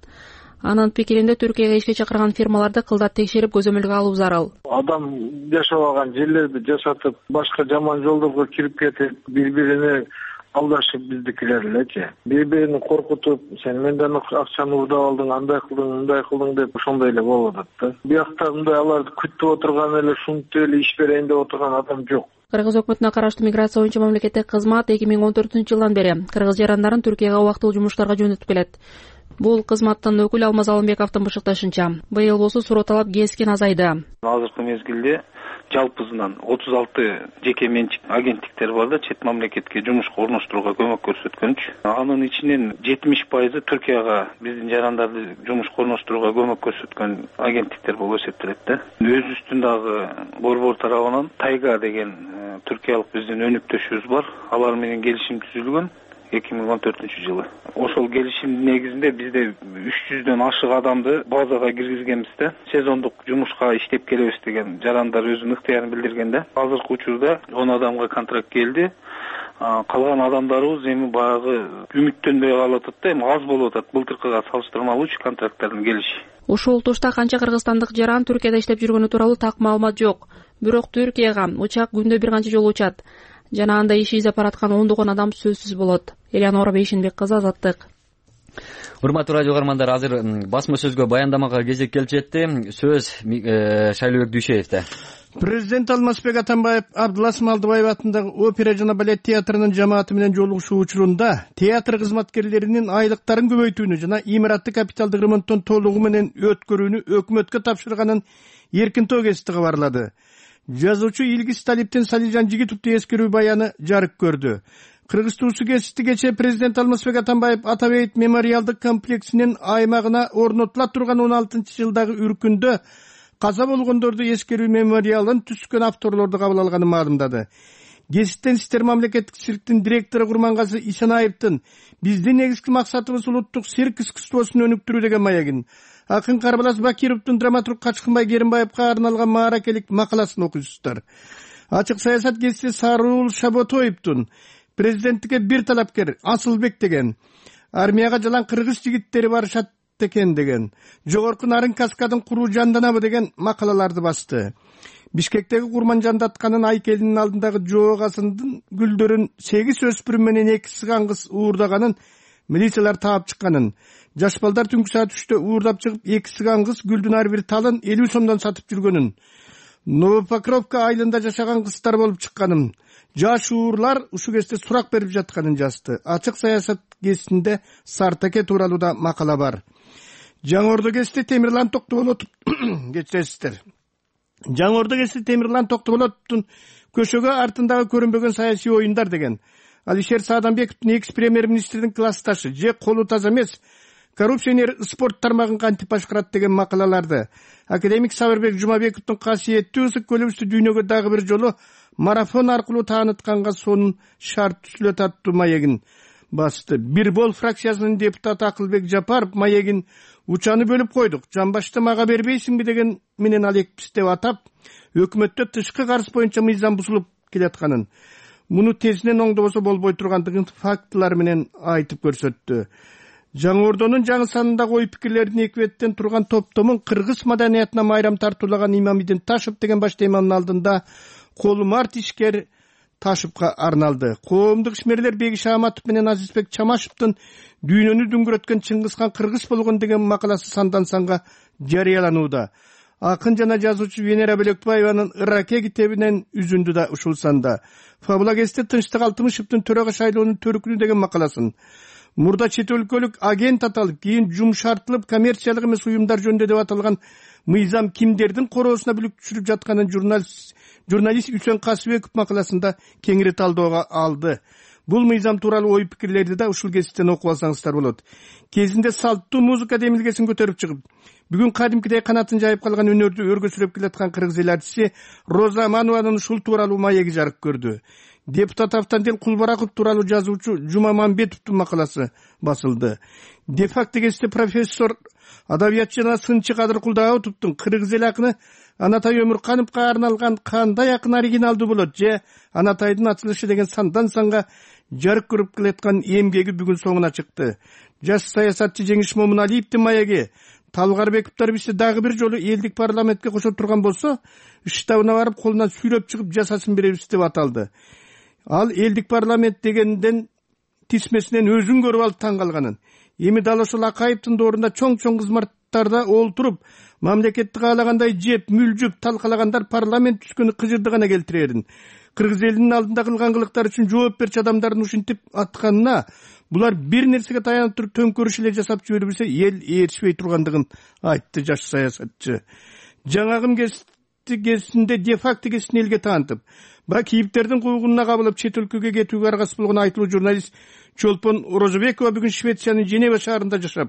Анын пикиринде Түркияга ишке чакырган фирмаларды кылдат текшерип көзөмөлгө алуу зарыл. Адам жашабаган жерлерди жасатып, башка жаман жолдорго кирип кетип, бири-бирине алдашып биздикилер элечи. Бири-бирин коркутуп, сен менден акчаны урдап алдың, андай кылдың, мындай кылдың деп ошондой эле болуп атат да. Биякта мындай аларды күтүп отурган эле ушунтип эле иш берейин деп отурган адам жок. Кыргыз өкмөтүнө караштуу миграция боюнча мамлекеттик кызмат эки миң он төртүнчү жылдан бери кыргыз жарандарын Түркияга убактылуу жумуштарга жөнөтүп келет. Бул кызматтын өкүлү Алмаз Алымбековдун бышыкташынча, быйыл болсо суроо талап кескен азайды. Азыркы мезгилде жалпысынан отуз алты жеке менчик агенттиктер бар да, чет мамлекетке жумушка орноштурууга көмөк көрсөткөнчү. Анын ичинен жетимиш пайызы Түркияга биздин жарандарды жумушка орноштурууга көмөк көрсөткөн агенттиктер болуп эсептелет да. Өзүбүздүн дагы борбор тарабынан Тайга деген түркиялык биздин өнүктөшүбүз бар. Алар менен келишим түзүлгөн эки миң он төртүнчү жылы. Ошол келишимдин негизинде бизде үч жүздөн ашык адамды базага киргизгенбиз да. Сезондук жумушка иштеп келебиз деген жарандар өзүнүн ыктыярын билдирген да. Азыркы учурда он адамга контракт келди. Калган адамдарыбыз эми баягы үмүттөнбөй калып атат да, эми аз болуп атат былтыркыга салыштырмалуучу контракттардын келиши. Ушул тушта канча кыргызстандык жаран Түркияда иштеп жүргөнү тууралуу так маалымат жок. Бирок Түркияга учак күндө бир канча жолу учат жана анда иш издеп бараткан ондогон адам сөзсүз болот. Элеонора Бейшенбек кызы, Азаттык. Урматтуу радио каармандар, азыр басма сөзгө баяндамага кезек келип жетти. Сөз Шайлообек Дүйшеевде. Президент Алмазбек Атамбаев Абдылас Малдыбаев атындагы опера жана балет театрынын жамааты менен жолугушуу учурунда театр кызматкерлеринин айлыктарын көбөйтүүнү жана имаратты капиталдык ремонттон толугу менен өткөрүүнү өкмөткө тапшырганын эркин тогести кабарлады. Жазуучу Илгиз Талиптин Салижан Жигитовду эскерүү баяны жарык көрдү. Кыргыз туусу кесипти кечээ президент Алмазбек Атамбаев Атабейт мемориалдык комплексинин аймагына орнотула турган он алтынчы жылдагы үркүндө каза болгондорду эскерүү мемориалын түзгөн авторлорду кабыл алганын маалымдады. Кесиптен иштер мамлекеттик цирктин директору Курмангазы Исенаевдин биздин негизги максатыбыз улуттук цирк искусствосун өнүктүрүү деген маегин акын Карбалас Бакировдун драматург Качкынбай Керимбаевка арналган мааракелик макаласын окуйсуздар. Ачык саясат кесиси Сарыл Шаботоевдун президенттикке бир талапкер Асылбек деген, армияга жалаң кыргыз жигиттери барышат экен деген, жогорку нарын каскадын куруу жанданабы деген макалаларды басты. Бишкектеги Курманжандатканын айкелинин алдындагы жоогасынын гүлдөрүн сегиз өспүрүм менен эки сыган кыз уурдаганын милициялар таап чыкканын, жаш балдар түнкү саат үчтө уурдап чыгып эки сыган кыз гүлдүн ар бир талын элүү сомдон сатып жүргөнүн, Новопокровка айылында жашаган кыздар болуп чыкканын, жаш уурлар ушул кезде сурак берип жатканын жазды. Ачык саясат кесинде Сартаке тууралуу да макала бар. Жаңы Ордо кести Темирлан Токтоболотов кечиресиздер. Жаңы Ордо кести Темирлан Токтоболотовдун көшөгө артындагы көрүнбөгөн саясий оюндар деген, Алишер Саадамбековдун экс премьер-министрдин классташы же колу таза эмес коррупционер спорт тармагын кантип башкарат деген макалаларды, академик Сабырбек Жумабековдун касиеттүү ысык көлөбүздү дүйнөгө дагы бир жолу марафон аркылуу таанытканга сонун шарт түзүлөт аттуу маегин басты. Бир бол фракциясынын депутаты Акылбек Жапаров маегин учаны бөлүп койдук, жамбашты мага бербейсиңби деген менен алекпиз деп атап, өкмөттө тышкы карыз боюнча мыйзам бузулуп келатканын, муну тезинен оңдобосо болбой тургандыгын фактылар менен айтып көрсөттү. Жаңы Ордонун жаңы санындагы ой пикирлердин эки беттен турган топтомун кыргыз маданиятына майрам тартуулаган Имамидин Ташев деген баш теманын алдында колумарт ишкер Ташевка арналды. Коомдук ишмерлер Бегиш Аматов менен Азизбек Чамашевдин дүйнөнү дүңгүрөткөн Чыңгызхан кыргыз болгон деген макаласы сандан санга жарыяланууда. Акын жана жазуучу Венера Бөлекбаеванын Ираке китебинен үзүндү да ушул санда. Фабула кесте Тынчтык Алтымышевдин төрага шайлоонун төрүкүнү деген макаласын, мурда чет өлкөлүк агент аталып, кийин жумшартылып коммерциялык эмес уюмдар жөнүндө деп аталган мыйзам кимдердин короосуна бүлүк түшүрүп жатканын журналист журналист Үсен Касыбеков макаласында кеңири талдөөгө алды. Бул мыйзам тууралуу ой пикирлерди да ушул кесиптен окуп алсаңыздар болот. Кезинде салттуу музыка демилгесин көтөрүп чыгып, бүгүн кадимкидей канатын жайып калган өнөрдү өргө сүрөп келаткан кыргыз эл артисти Роза Манованын ушул тууралуу маеги жарык көрдү. Депутат Автандел Кулбараков тууралуу жазуучу Жума Мамбетовдун макаласы басылды. Де-факто кесте профессор адабиятчы жана сынчы Кадыр Кулдаатовдун кыргыз эл акыны Анатай Өмүркановго арналган кандай акын оригиналдуу болот же Анатайдын ачылышы деген сандан санга жарык көрүп келаткан эмгеги бүгүн соңуна чыкты. Жаш саясатчы Жеңиш Момуналиевдин маеги Талгарбековдор бизди дагы бир жолу элдик парламентке кошо турган болсо, штабына барып колунан сүйрөп чыгып жасасын беребиз деп аталды. Ал элдик парламент дегенден тисмесинен өзүн көрүп алып таң калганын, эми дал ошол Акаевдин доорунда чоң-чоң кызматтарда олтуруп, мамлекетти каалагандай жеп, мүлжүп, талкалагандар парламент түзгөнү кыжырды гана келтирерин. Кыргыз элинин алдында кылган кылыктар үчүн жооп берчү адамдардын ушинтип атканына булар бир нерсеге таянып туруп төңкөрүш эле жасап жибере билсе, эл ээрчибей тургандыгын айтты жаш саясатчы. Жаңагым кесинде де-факто кесин элге таантып, бак кийиптердин куугунуна кабылып чет өлкөгө кетүүгө аргасыз болгон айтылуу журналист Чолпон Орозобекова бүгүн Швециянын Женева шаарында жашап,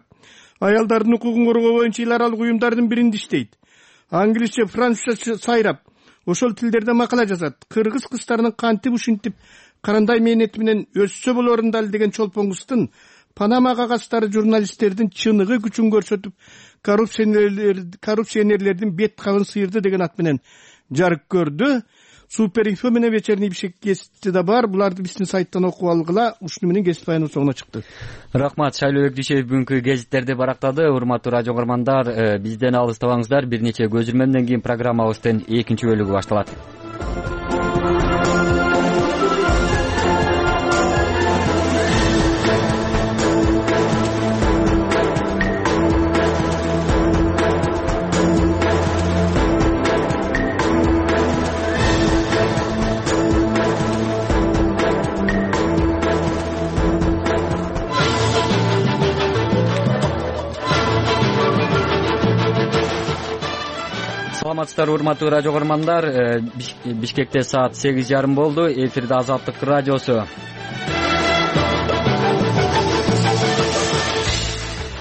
аялдардын укугун коргоо боюнча эл аралык уюмдардын биринде иштейт. Англисче, французча сайрап, ошол тилдерде макала жазат. Кыргыз кыздарынын кантип ушинтип карандай мээнети менен өссө болорун дал деген Чолпон кыздын Панама кагаздары журналисттердин чыныгы күчүн көрсөтүп, коррупционерлердин бет кабын сыйырды деген ат менен жарык көрдү. Супер инфо менен вечерний Бишкек гезити да бар. Буларды биздин сайттан окуп алгыла. Ушуну менен гезит баяныбыз соңуна чыкты. Рахмат, Шайлоо Бекдишев бүгүнкү гезиттерди барактады. Урматтуу радио көрөрмандар, бизден алыстабаңыздар. Бир нече көзүрмөмдөн кийин программабыздын экинчи бөлүгү башталат. Саламатсыздар, урматтуу радио көрөрмандар. Бишкекте саат сегиз жарым болду. Эфирде Азаттык радиосу.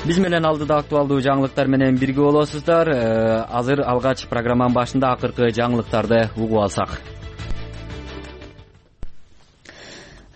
Биз менен алдыда актуалдуу жаңылыктар менен бирге болосуздар. Азыр алгач программанын башында акыркы жаңылыктарды угуп алсак.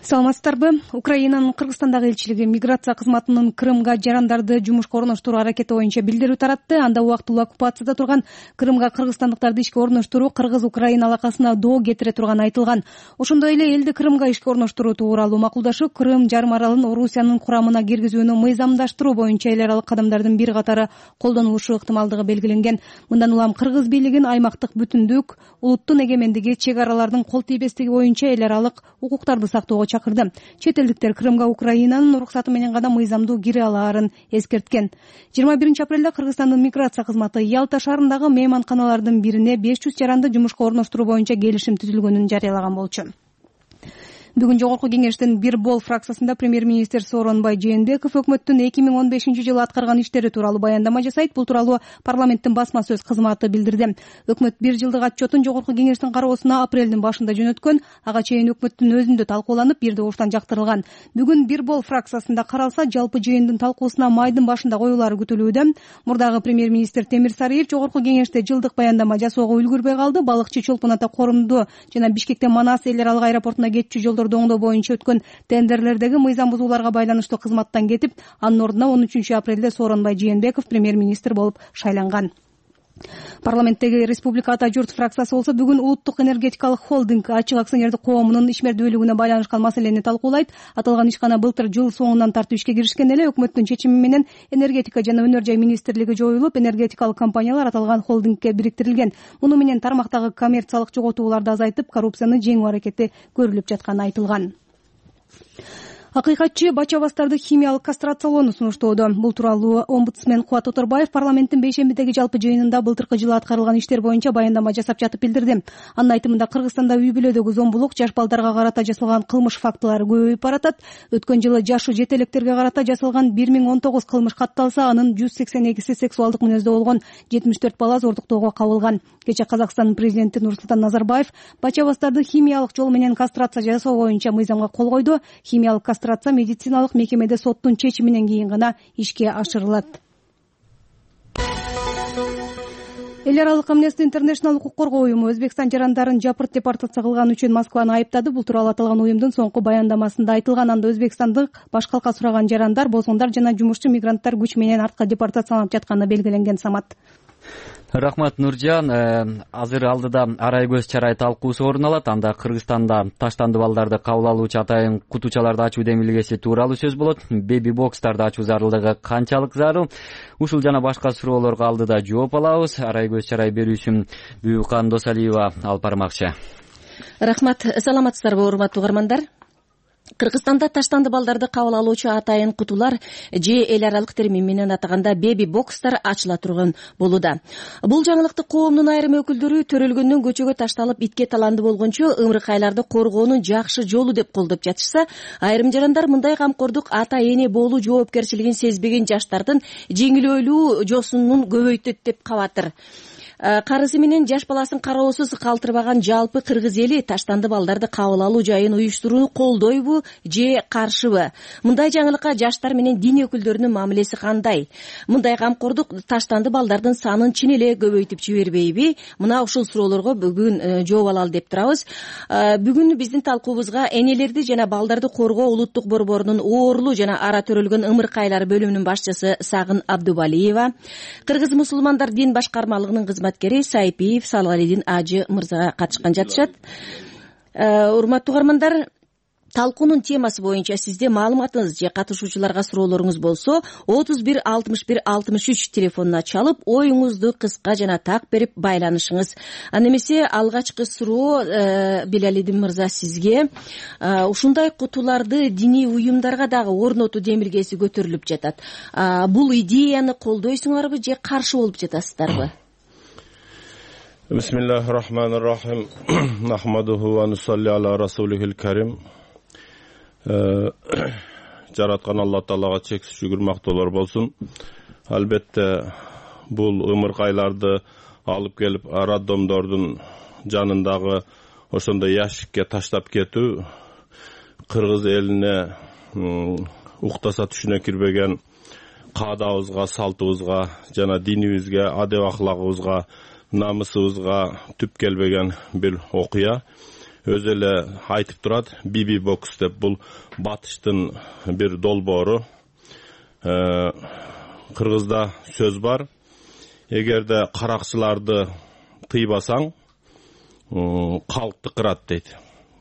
Саламатсыздарбы? Украинанын Кыргызстандагы элчилиги миграция кызматынын Крымга жарандарды жумушка орноштуруу аракети боюнча билдирүү таратты. Анда убактылуу оккупацияда турган Крымга кыргызстандыктарды ишке орноштуруу Кыргыз-Украина алакасына доо кетире турганы айтылган. Ошондой эле элди Крымга ишке орноштуруу тууралуу макулдашуу Крым жарым аралын Орусиянын курамына киргизүүнү мыйзамдаштыруу боюнча эл аралык кадамдардын бир катары колдонулушу ыктымалдыгы белгиленген. Мындан улам Кыргыз бийлигин аймактык бүтүндүк, улуттун эгемендиги, чек аралардын кол тийбестиги боюнча эл аралык укуктарды сактоого чакырды. Чет элдиктер Крымга Украинанын уруксаты менен гана мыйзамдуу кире алаарын эскерткен. жыйырма биринчи апрелде Кыргызстандын миграция кызматы Ялта шаарындагы мейманканалардын бирине беш жүз жаранды жумушка орноштуруу боюнча келишим түзүлгөнүн жарыялаган болчу. Бүгүн Жогорку кеңештин бир бол фракциясында премьер-министр Сооронбай Жээнбеков өкмөттүн эки миң он бешинчи жылы аткарган иштери тууралуу баяндама жасайт. Бул тууралуу парламенттин басма сөз кызматы билдирди. Өкмөт бир жылдык отчетун Жогорку кеңештин кароосуна апрелдин башында жөнөткөн. Ага чейин өкмөттүн өзүндө талкууланып, бир добуштан жактырылган. Бүгүн бир бол фракциясында каралса, жалпы жыйындын талкуусуна майдын башында коюлары күтүлүүдө. Мурдагы премьер-министр Темир Сариев Жогорку кеңеште жылдык баяндама жасоого үлгүрбөй калды. Балыкчы Чолпон Ата корумду жана Бишкектен Манас эл аралык аэропортуна кетчү жолдор оңдоо боюнча өткөн тендерлердеги мыйзам бузууларга байланыштуу кызматтан кетип, анын ордуна он үчүнчү апрелде Сооронбай Жээнбеков премьер-министр болуп шайланган. Парламенттеги Республика Ата журт фракциясы болсо бүгүн улуттук энергетикалык холдинг ачык акционердик коомунун ишмердүүлүгүнө байланышкан маселени талкуулайт. Аталган ишкана былтыр жыл соңунан тартып ишке киришкен эле. Өкмөттүн чечими менен энергетика жана өнөр жай министрлиги жоюлуп, энергетикалык компаниялар аталган холдингке бириктирилген. Муну менен тармактагы коммерциялык жоготууларды азайтып, коррупцияны жеңүү аракети көрүлүп жатканы айтылган. Акыйкатчы бача-бастарды химиялык кастрациялоону сунуштоодо. Бул тууралуу омбудсмен Кубат Оторбаев парламенттин бейшембидеги жалпы жыйынында былтыркы жылы аткарылган иштер боюнча баяндама жасап жатып билдирди. Анын айтымында Кыргызстанда үй бүлөдөгү зомбулук, жаш балдарга карата жасалган кылмыш фактылары көбөйүп баратат. Өткөн жылы жашы жет электерге карата жасалган бир миң он тогуз кылмыш катталса, анын жүз сексен экиси сексуалдык мүнөздө болгон, жетимиш төрт бала зордуктоого кабылган. Кечээ Казакстандын президенти Нурсултан Назарбаев бача-бастарды химиялык жол менен кастрация жасоо боюнча мыйзамга кол койду. Химиялык кастрация медициналык мекемеде соттун чечиминен кийин гана ишке ашырылат. Эл аралык Amnesty International укук коргоо уюму Өзбекстан жарандарын жапырт депортация кылган үчүн Москваны айыптады. Бул тууралуу аталган уюмдун соңку баяндамасында айтылган. Анда Өзбекстандык баш калка сураган жарандар, босгундар жана жумушчу мигранттар күч менен артка депортацияланып жатканы белгиленген. Самат. Рахмат, Нуржан. Азыр алдыда арай көз чарай талкуусу орун алат. Анда Кыргызстанда таштанды балдарды кабыл алуучу атайын кутучаларды ачуу демилгеси тууралуу сөз болот. Беби бокстарды ачуу зарылдыгы канчалык зарыл? Ушул жана башка суроолорго алдыда жооп алабыз. Арай көз чарай берүүчүм Бүйүкан Досалиева алып бармакчы. Рахмат. Саламатсыздарбы, урматтуу угармандар? Кыргызстанда таштанды балдарды кабыл алуучу атайын кутулар же эл аралык термин менен атаганда беби бокстар ачыла турган болууда. Бул жаңылыкты коомдун айрым өкүлдөрү төрөлгөндөн көчөгө ташталып итке таланды болгончо ымыркайларды коргоонун жакшы жолу деп колдоп жатышса, айрым жарандар мындай камкордук ата эне болуу жоопкерчилигин сезбеген жаштардын жеңилөөлүү жосунун көбөйтөт деп кабатыр. Карысы менен жаш баласын кароосуз калтырбаган жалпы кыргыз эли таштанды балдарды кабыл алуу жайын уюштурууну колдойбу же каршыбы? Мындай жаңылыкка жаштар менен дин өкүлдөрүнүн мамилеси кандай? Мындай камкордук таштанды балдардын санын чын эле көбөйтүп жибербейби? Мына ушул суроолорго бүгүн жооп алалы деп турабыз. Бүгүн биздин талкуубузга энелерди жана балдарды коргоо улуттук борборунун оорлуу жана ара төрөлгөн ымыркайлар бөлүмүнүн башчысы Сагын Абдубалиева, Кыргыз мусулмандар дин башкармалыгынын кызматкери кызматкери Сайпиев Салгалидин Ажы мырзага катышкан жатышат. Урматтуу угармандар, талкуунун темасы боюнча сизде маалыматыңыз же катышуучуларга суроолоруңуз болсо отуз бир алтымыш бир алтымыш үч телефонуна чалып оюңузду кыска жана так берип байланышыңыз. Аны эмесе алгачкы суроо Белалидин мырза сизге ушундай кутуларды диний уюмдарга дагы орнотуу демилгеси көтөрүлүп жатат. Бул идеяны колдойсуңарбы же каршы болуп жатасыздарбы? Бисмиллахи рахманир рахим. Нахмадуху ва нусалли аля расулихил карим. Жараткан Алла Таалага чексиз шүгүр мактоолор болсун. Албетте бул ымыркайларды алып келип роддомдордун жанындагы ошондой ящикке таштап кетүү кыргыз элине уктаса түшүнө кирбеген каадабызга, салтыбызга жана динибизге, адеп аклагыбызга, намысыбызга түп келбеген бир окуя. Өзү эле айтып турат, биби бокс деп, бул батыштын бир долбоору. Кыргызда сөз бар. Эгерде каракчыларды тыйбасаң, калкты кырат дейт.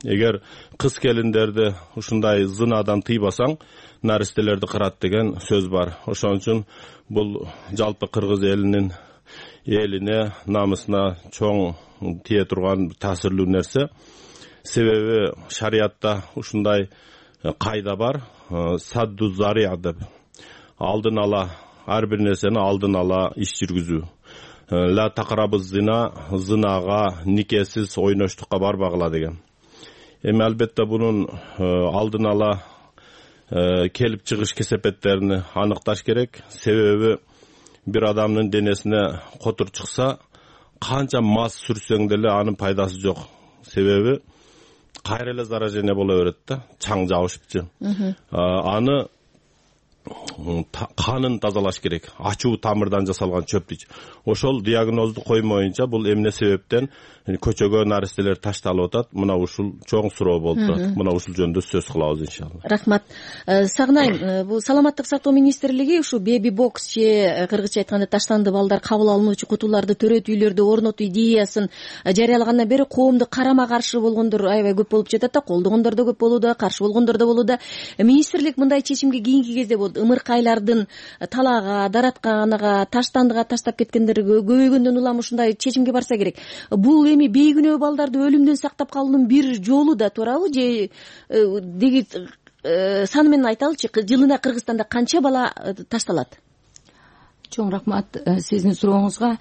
Эгер кыз келиндерди ушундай зынадан тыйбасаң, наристелерди кырат деген сөз бар. Ошон үчүн бул жалпы кыргыз элинин элине, намысына чоң тие турган таасирлүү нерсе. Себеби шариятта ушундай кайда бар, садду зария деп. Алдын ала, ар бир нерсени алдын ала иш жүргүзүү. Ла тақрабыз зина, зынага, никесиз ойноштукка барбагыла деген. Эми албетте бунун алдын ала келип чыгыш кесепеттерин аныкташ керек. Себеби бир адамдын денесине котур чыкса, канча мас сүрсөң деле анын пайдасы жок. Себеби кайра эле заражение боло берет да, чаң жабышыпчы. Аны канын тазалаш керек. Ачуу тамырдан жасалган чөптү. Ошол диагнозду коймоюнча бул эмне себептен көчөгө наристелер ташталып атат? Мына ушул чоң суроо болуп турат. Мына ушул жөнүндө сөз кылабыз иншалла. Рахмат. Сагынайм, бул саламаттык сактоо министрлиги ушу беби бокс же кыргызча айтканда таштанды балдар кабыл алынуучу кутуларды төрөтүүлөрдү орнотуу идеясын жарыялагандан бери коомду карама каршы болгондор аябай көп болуп жатат да, колдогондор да көп болууда, каршы болгондор да болууда. Министрлик мындай чечимге кийинки кезде ымыркайлардын талаага, даратканага, таштандыга таштап кеткендер көбөйгөндөн улам ушундай чечимге барса керек. Бул эми бейкүнөө балдарды өлүмдөн сактап калуунун бир жолу да туурабы же деги саны менен айталычы, жылына Кыргызстанда канча бала ташталат? Чоң рахмат сиздин сурооңузга.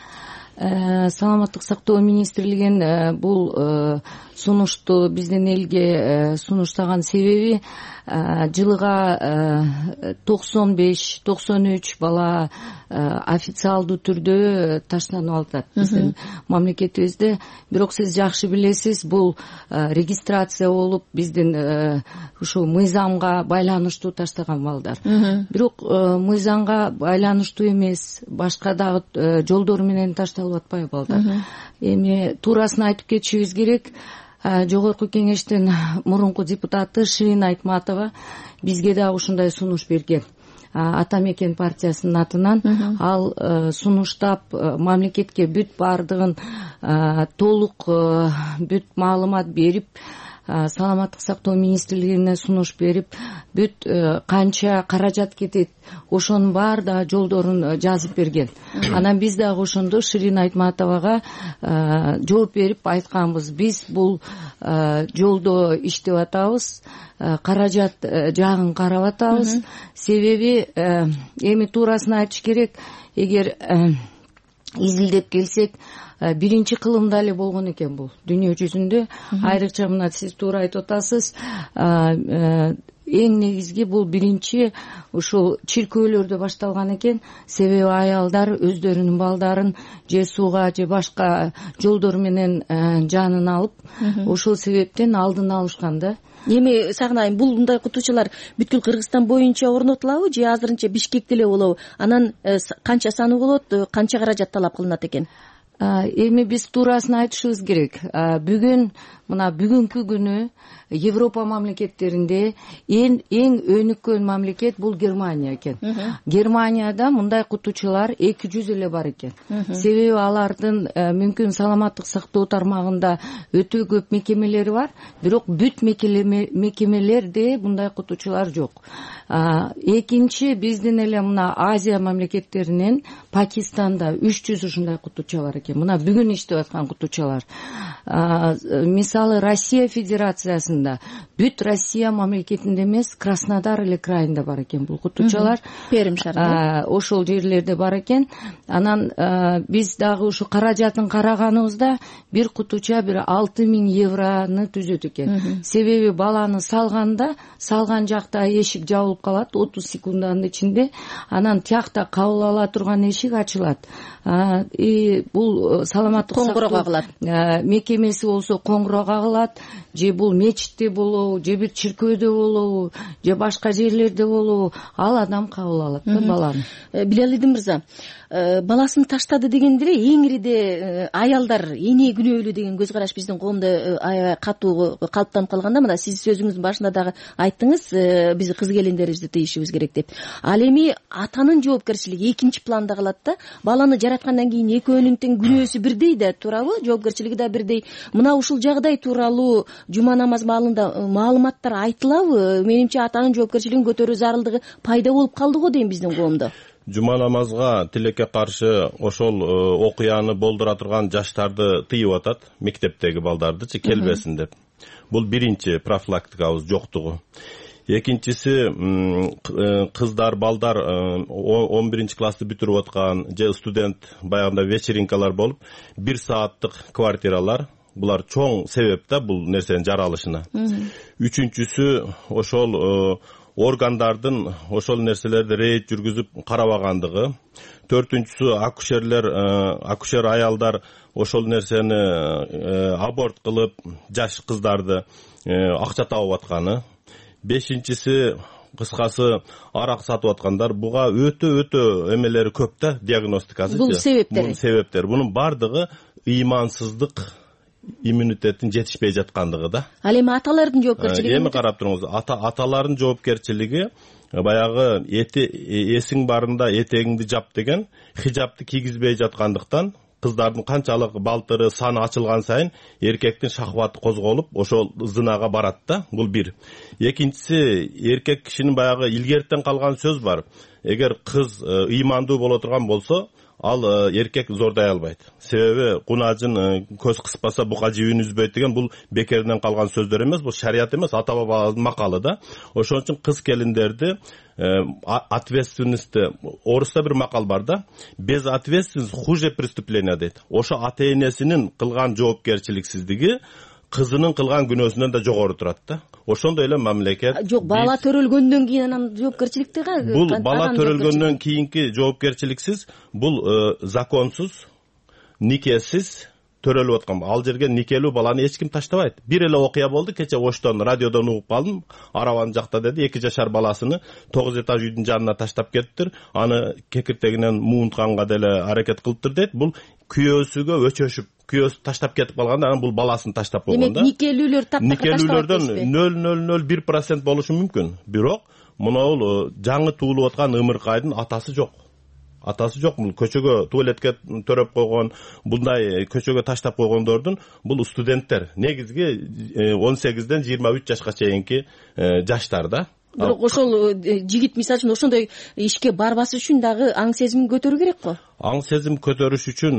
Саламаттык сактоо министрлигинин бул сунушту биздин элге сунуштаган себеби жылыга токсон беш токсон үч бала официалдуу түрдө таштанып атат биздин мамлекетибизде. Бирок сиз жакшы билесиз, бул регистрация болуп биздин ушул мыйзамга байланыштуу таштаган балдар. Бирок мыйзамга байланыштуу эмес, башка дагы жолдор менен ташталып атпайбы балдар. Эми туурасын айтып кетишибиз керек. Жогорку кеңештин мурунку депутаты Ширин Айтматова бизге да ушундай сунуш берген. Ата мекен партиясынын атынан ал сунуштап мамлекетке бүт бардыгын толук бүт маалымат берип, саламаттык сактоо министрлигине сунуш берип, бүт канча каражат кетет, ошонун баары да жолдорун жазып берген. Анан биз дагы ошондо Ширин Айтматовага жооп берип айтканбыз, биз бул жолдо иштеп атабыз, каражат жагын карап атабыз. Себеби эми туурасын айтыш керек, эгер изилдеп келсек, биринчи кылымда эле болгон экен бул дүйнө жүзүндө. Айрыкча мына сиз туура айтып атасыз, эң негизги бул биринчи ушул чиркөөлөрдө башталган экен. Себеби аялдар өздөрүнүн балдарын же сууга же башка жолдор менен жанын алып, ошол себептен алдын алышкан да. Эми Сагынайм, бул мындай кутучалар бүткүл Кыргызстан боюнча орнотулабы же азырынча Бишкекте эле болобу? Анан канча саны болот, канча каражат талап кылынат экен? эми биз туурасын айтышыбыз керек. Бүгүн мына бүгүнкү күнү Европа мамлекеттеринде эң эң өнүккөн мамлекет бул Германия экен. Германияда мындай окутуучулар эки жүз эле бар экен. Себеби алардын мүмкүн саламаттык сактоо тармагында өтө көп мекемелери бар, бирок бүт мекемелерде мындай окутуучулар жок. Экинчи, биздин эле мына Азия мамлекеттеринен Пакистанда үч жүз ушундай окутуучу бар экен. Мына бүгүн иштеп аткан окутуучулар. Мисалы Россия Федерациясында бүт Россия мамлекетинде эмес, Краснодар эле крайында бар экен бул окутуучулар. Перим шаарында. Ошол жерлерде бар экен. Анан биз дагы ушу каражатын караганыбызда бир окутуучу бир алты миң евроны түзөт экен. Себеби баланы салганда, салган жакта эшик жабылып калат отуз секунданын ичинде, анан тиякта кабыл ала турган эшик ачылат. И бул саламаттык коңгуроо кагылат. Мекемеси болсо коңгуроо кагылат, же бул мечитте болобу, же бир чиркөөдө болобу, же башка жерлерде болобу, ал адам кабыл алат да баланы. Билалидин мырза, баласын таштады дегенде эле эңириде аялдар эне күнөөлүү деген көз караш биздин коомдо аябай катуу калыптанып калганда, мына сиз сөзүңүздүн башында дагы айттыңыз, биз кыз келиндерибизди тыйышыбыз керек деп. Ал эми атанын жоопкерчилиги экинчи планда калат да. Баланы жараткандан кийин экөөнүн тең күнөөсү бирдей да, туурабы? Жоопкерчилиги да бирдей. Мына ушул жагдай тууралуу жума намаз маалында маалыматтар айтылабы? Менимче атанын жоопкерчилигин көтөрүү зарылдыгы пайда болуп калды го дейм биздин коомдо. Жума намазга тилекке каршы ошол окуяны болдура турган жаштарды тыйып атат, мектептеги балдардычы келбесин деп. Бул биринчи профилактикабыз жоктугу. Экинчиси, кыздар, балдар он биринчи классты бүтүрүп аткан же студент баягында вечеринкалар болуп, бир сааттык квартиралар, булар чоң себеп да бул нерсенин жаралышына. Үчүнчүсү, ошол органдардын ошол нерселерди рейд жүргүзүп карабагандыгы. Төртүнчүсү, акушерлер, акушер аялдар ошол нерсени аборт кылып, жаш кыздарды акча табып атканы. Бешинчиси, кыскасы, арак сатып аткандар. Буга өтө-өтө эмелери көп да, диагностикасы. Бул себептери. Бул себептер. Бунун бардыгы ыймансыздык, иммунитеттин жетишпей жаткандыгы да. Ал эми аталардын жоопкерчилиги? Эми карап туруңуз, ата аталардын жоопкерчилиги баягы эсиң барында этегиңди жап деген хижапты кийгизбей жаткандыктан кыздардын канчалык балтыры, саны ачылган сайын эркектин шахваты козголуп, ошол зынага барат да. Бул бир. Экинчиси, эркек кишинин баягы илгертен калган сөз бар. Эгер кыз ыймандуу боло турган болсо, ал эркек зордой албайт. Себеби кунаажын көз кыспаса бука жибин үзбөйт деген бул бекеринен калган сөздөр эмес, бул шарият эмес, ата бабабыздын макалы да. Ошон үчүн кыз келиндерди ответственности, орусда бир макал бар да, без ответственности хуже преступления дейт. Ошо ата энесинин кылган жоопкерчиликсиздиги кызынын кылган күнөөсүнөн да жогору турат да. Ошондой эле мамлекет. Жок, бала төрөлгөндөн кийин анан жоопкерчиликти кантип? Бул бала төрөлгөндөн кийинки жоопкерчиликсиз, бул законсуз, никесиз төрөлүп аткан. Ал жерге никелүү баланы эч ким таштабайт. Бир эле окуя болду, кече Оштон радиодон угуп калдым. Арабанын жакта деди, эки жашар баласыны тогуз этаж үйдүн жанына таштап кеттир. Аны кекиртегинен муунтканга деле аракет кылыптыр дейт. Бул күйөөсүгө өчөшүп, күйөөсү таштап кетип калганда, анан бул баласын таштап койгон да. Демек, никелүүлөр таптакыр таштабайт. Никелүүлөрдөн нөл нөл нөл бир процент болушу мүмкүн. Бирок, мынау жаңы туулуп аткан ымыркайдын атасы жок. Атасы жок. Бул көчөгө туалетке төрөп койгон, мындай көчөгө таштап койгондордун бул студенттер. Негизги он сегизден жыйырма үч жашка чейинки жаштар да. Бирок ошол жигит мисалы үчүн ошондой ишке барбаш үчүн дагы аң сезимин көтөрүү керек го. Аң сезим көтөрүш үчүн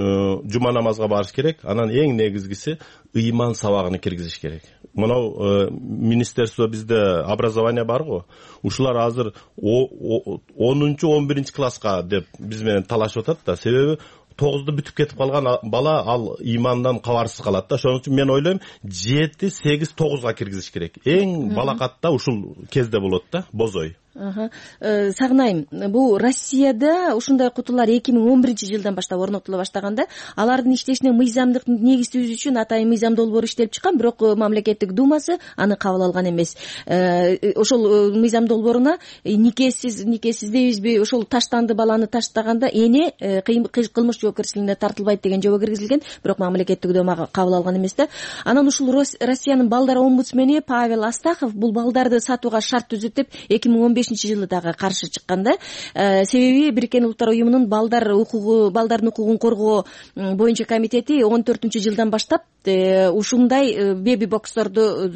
жума намазга барыш керек. Анан эң негизгиси ыйман сабагын киргизиш керек. Мынау министерство бизде образование бар го. Ушулар азыр онунчу он биринчи класска деп биз менен талашып атат да. Себеби тогузду бүтүп кетип калган бала ал ыймандан кабарсыз калат да. Ошон үчүн мен ойлойм, жети, сегиз, тогузга киргизиш керек. Эң балакатта ушул кезде болот да, бозой. Сагынайым, бул Россияда ушундай кутулар эки миң он биринчи жылдан баштап орнотула баштаганда, алардын иштешине мыйзамдык негиз түзүү үчүн атайын мыйзам долбоору иштелип чыккан, бирок мамлекеттик думасы аны кабыл алган эмес. Ошол мыйзам долбооруна никесиз никесиз дейбизби, ошол таштанды баланы таштаганда эне кылмыш жоопкерчилигине тартылбайт деген жобо киргизилген, бирок мамлекеттик дума кабыл алган эмес да. Анан ушул Россиянын балдар омбудсмени Павел Астахов бул балдарды сатууга шарт түзүп деп эки миң он бешинчи жылы дагы каршы чыкканда, себеби Бириккен Улуттар уюмунун балдар укугу балдардын укугун коргоо боюнча комитети он төртүнчү жылдан баштап ушундай беби боксторду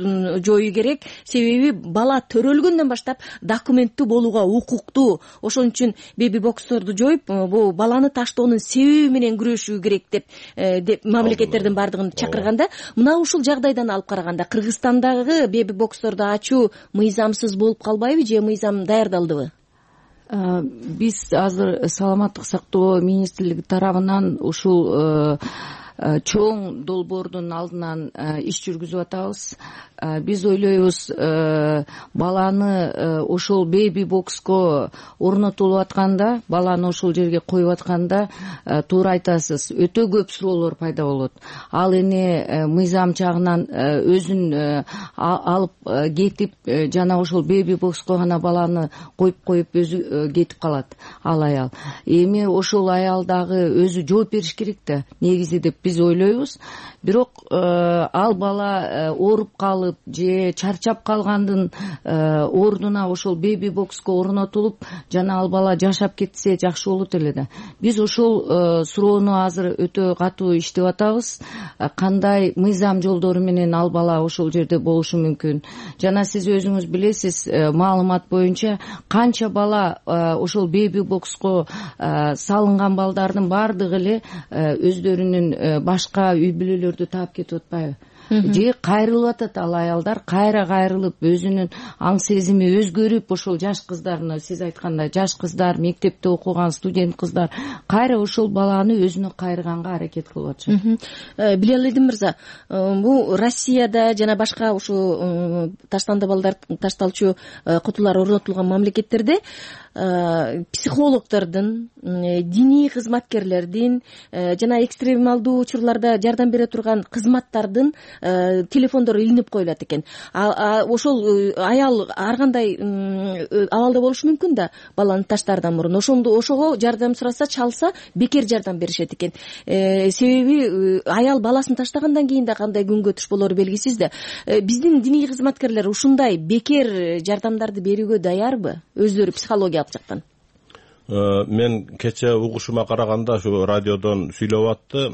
жоюу керек, себеби бала төрөлгөндөн баштап документтүү болууга укуктуу. Ошон үчүн беби боксторду жоюп, бул баланы таштоонун себеби менен күрөшүү керек деп деп мамлекеттердин бардыгын чакырганда, мына ушул жагдайдан алып караганда Кыргызстандагы беби боксторду ачуу мыйзамсыз болуп калбайбы же мыйзам даярдалдыбы? Биз азыр саламаттык сактоо министрлиги тарабынан ушул чоң долбоордун алдынан иш жүргүзүп атабыз. Биз ойлойбуз, баланы ошол беби бокско орнотулуп атканда, баланы ошол жерге коюп атканда, туура айтасыз, өтө көп суроолор пайда болот. Ал эне мыйзам жагынан өзүн алып кетип, жана ошол беби бокско гана баланы коюп коюп өзү кетип калат ал аял. Эми ошол аял дагы өзү жооп бериш керек да, негизи деп биз ойлойбуз. Бирок ал бала ооруп калып же чарчап калгандын ордуна ошол беби бокско орнотулуп, жана ал бала жашап кетсе жакшы болот эле да. Биз ошол суроону азыр өтө катуу иштеп атабыз. Кандай мыйзам жолдору менен ал бала ошол жерде болушу мүмкүн. Жана сиз өзүңүз билесиз, маалымат боюнча канча бала ошол беби бокско салынган балдардын бардыгы эле өздөрүнүн башка үй бүлөлөрдү таап кетип атпайбы? Же кайрылып атат ал аялдар, кайра кайрылып өзүнүн аң сезими өзгөрүп, ошол жаш кыздарны, сиз айткандай жаш кыздар, мектепте окуган студент кыздар кайра ошол баланы өзүнө кайрыганга аракет кылып атышат. Билалидин мырза, бул Россияда жана башка ушу таштанды балдар ташталчу кутулар орнотулган мамлекеттерде психологдордун, диний кызматкерлердин жана экстремалдуу учурларда жардам бере турган кызматтардын телефондору илинип коюлат экен. Ошол аял ар кандай абалда болушу мүмкүн да, баланы таштаардан мурун. Ошондо ошого жардам сураса, чалса, бекер жардам беришет экен. Себеби аял баласын таштагандан кийин да кандай күнгө туш болору белгисиз да. Биздин диний кызматкерлер ушундай бекер жардамдарды берүүгө даярбы? Өздөрү психологиялык жактан. Мен кече угушума караганда ушу радиодон сүйлөп атты,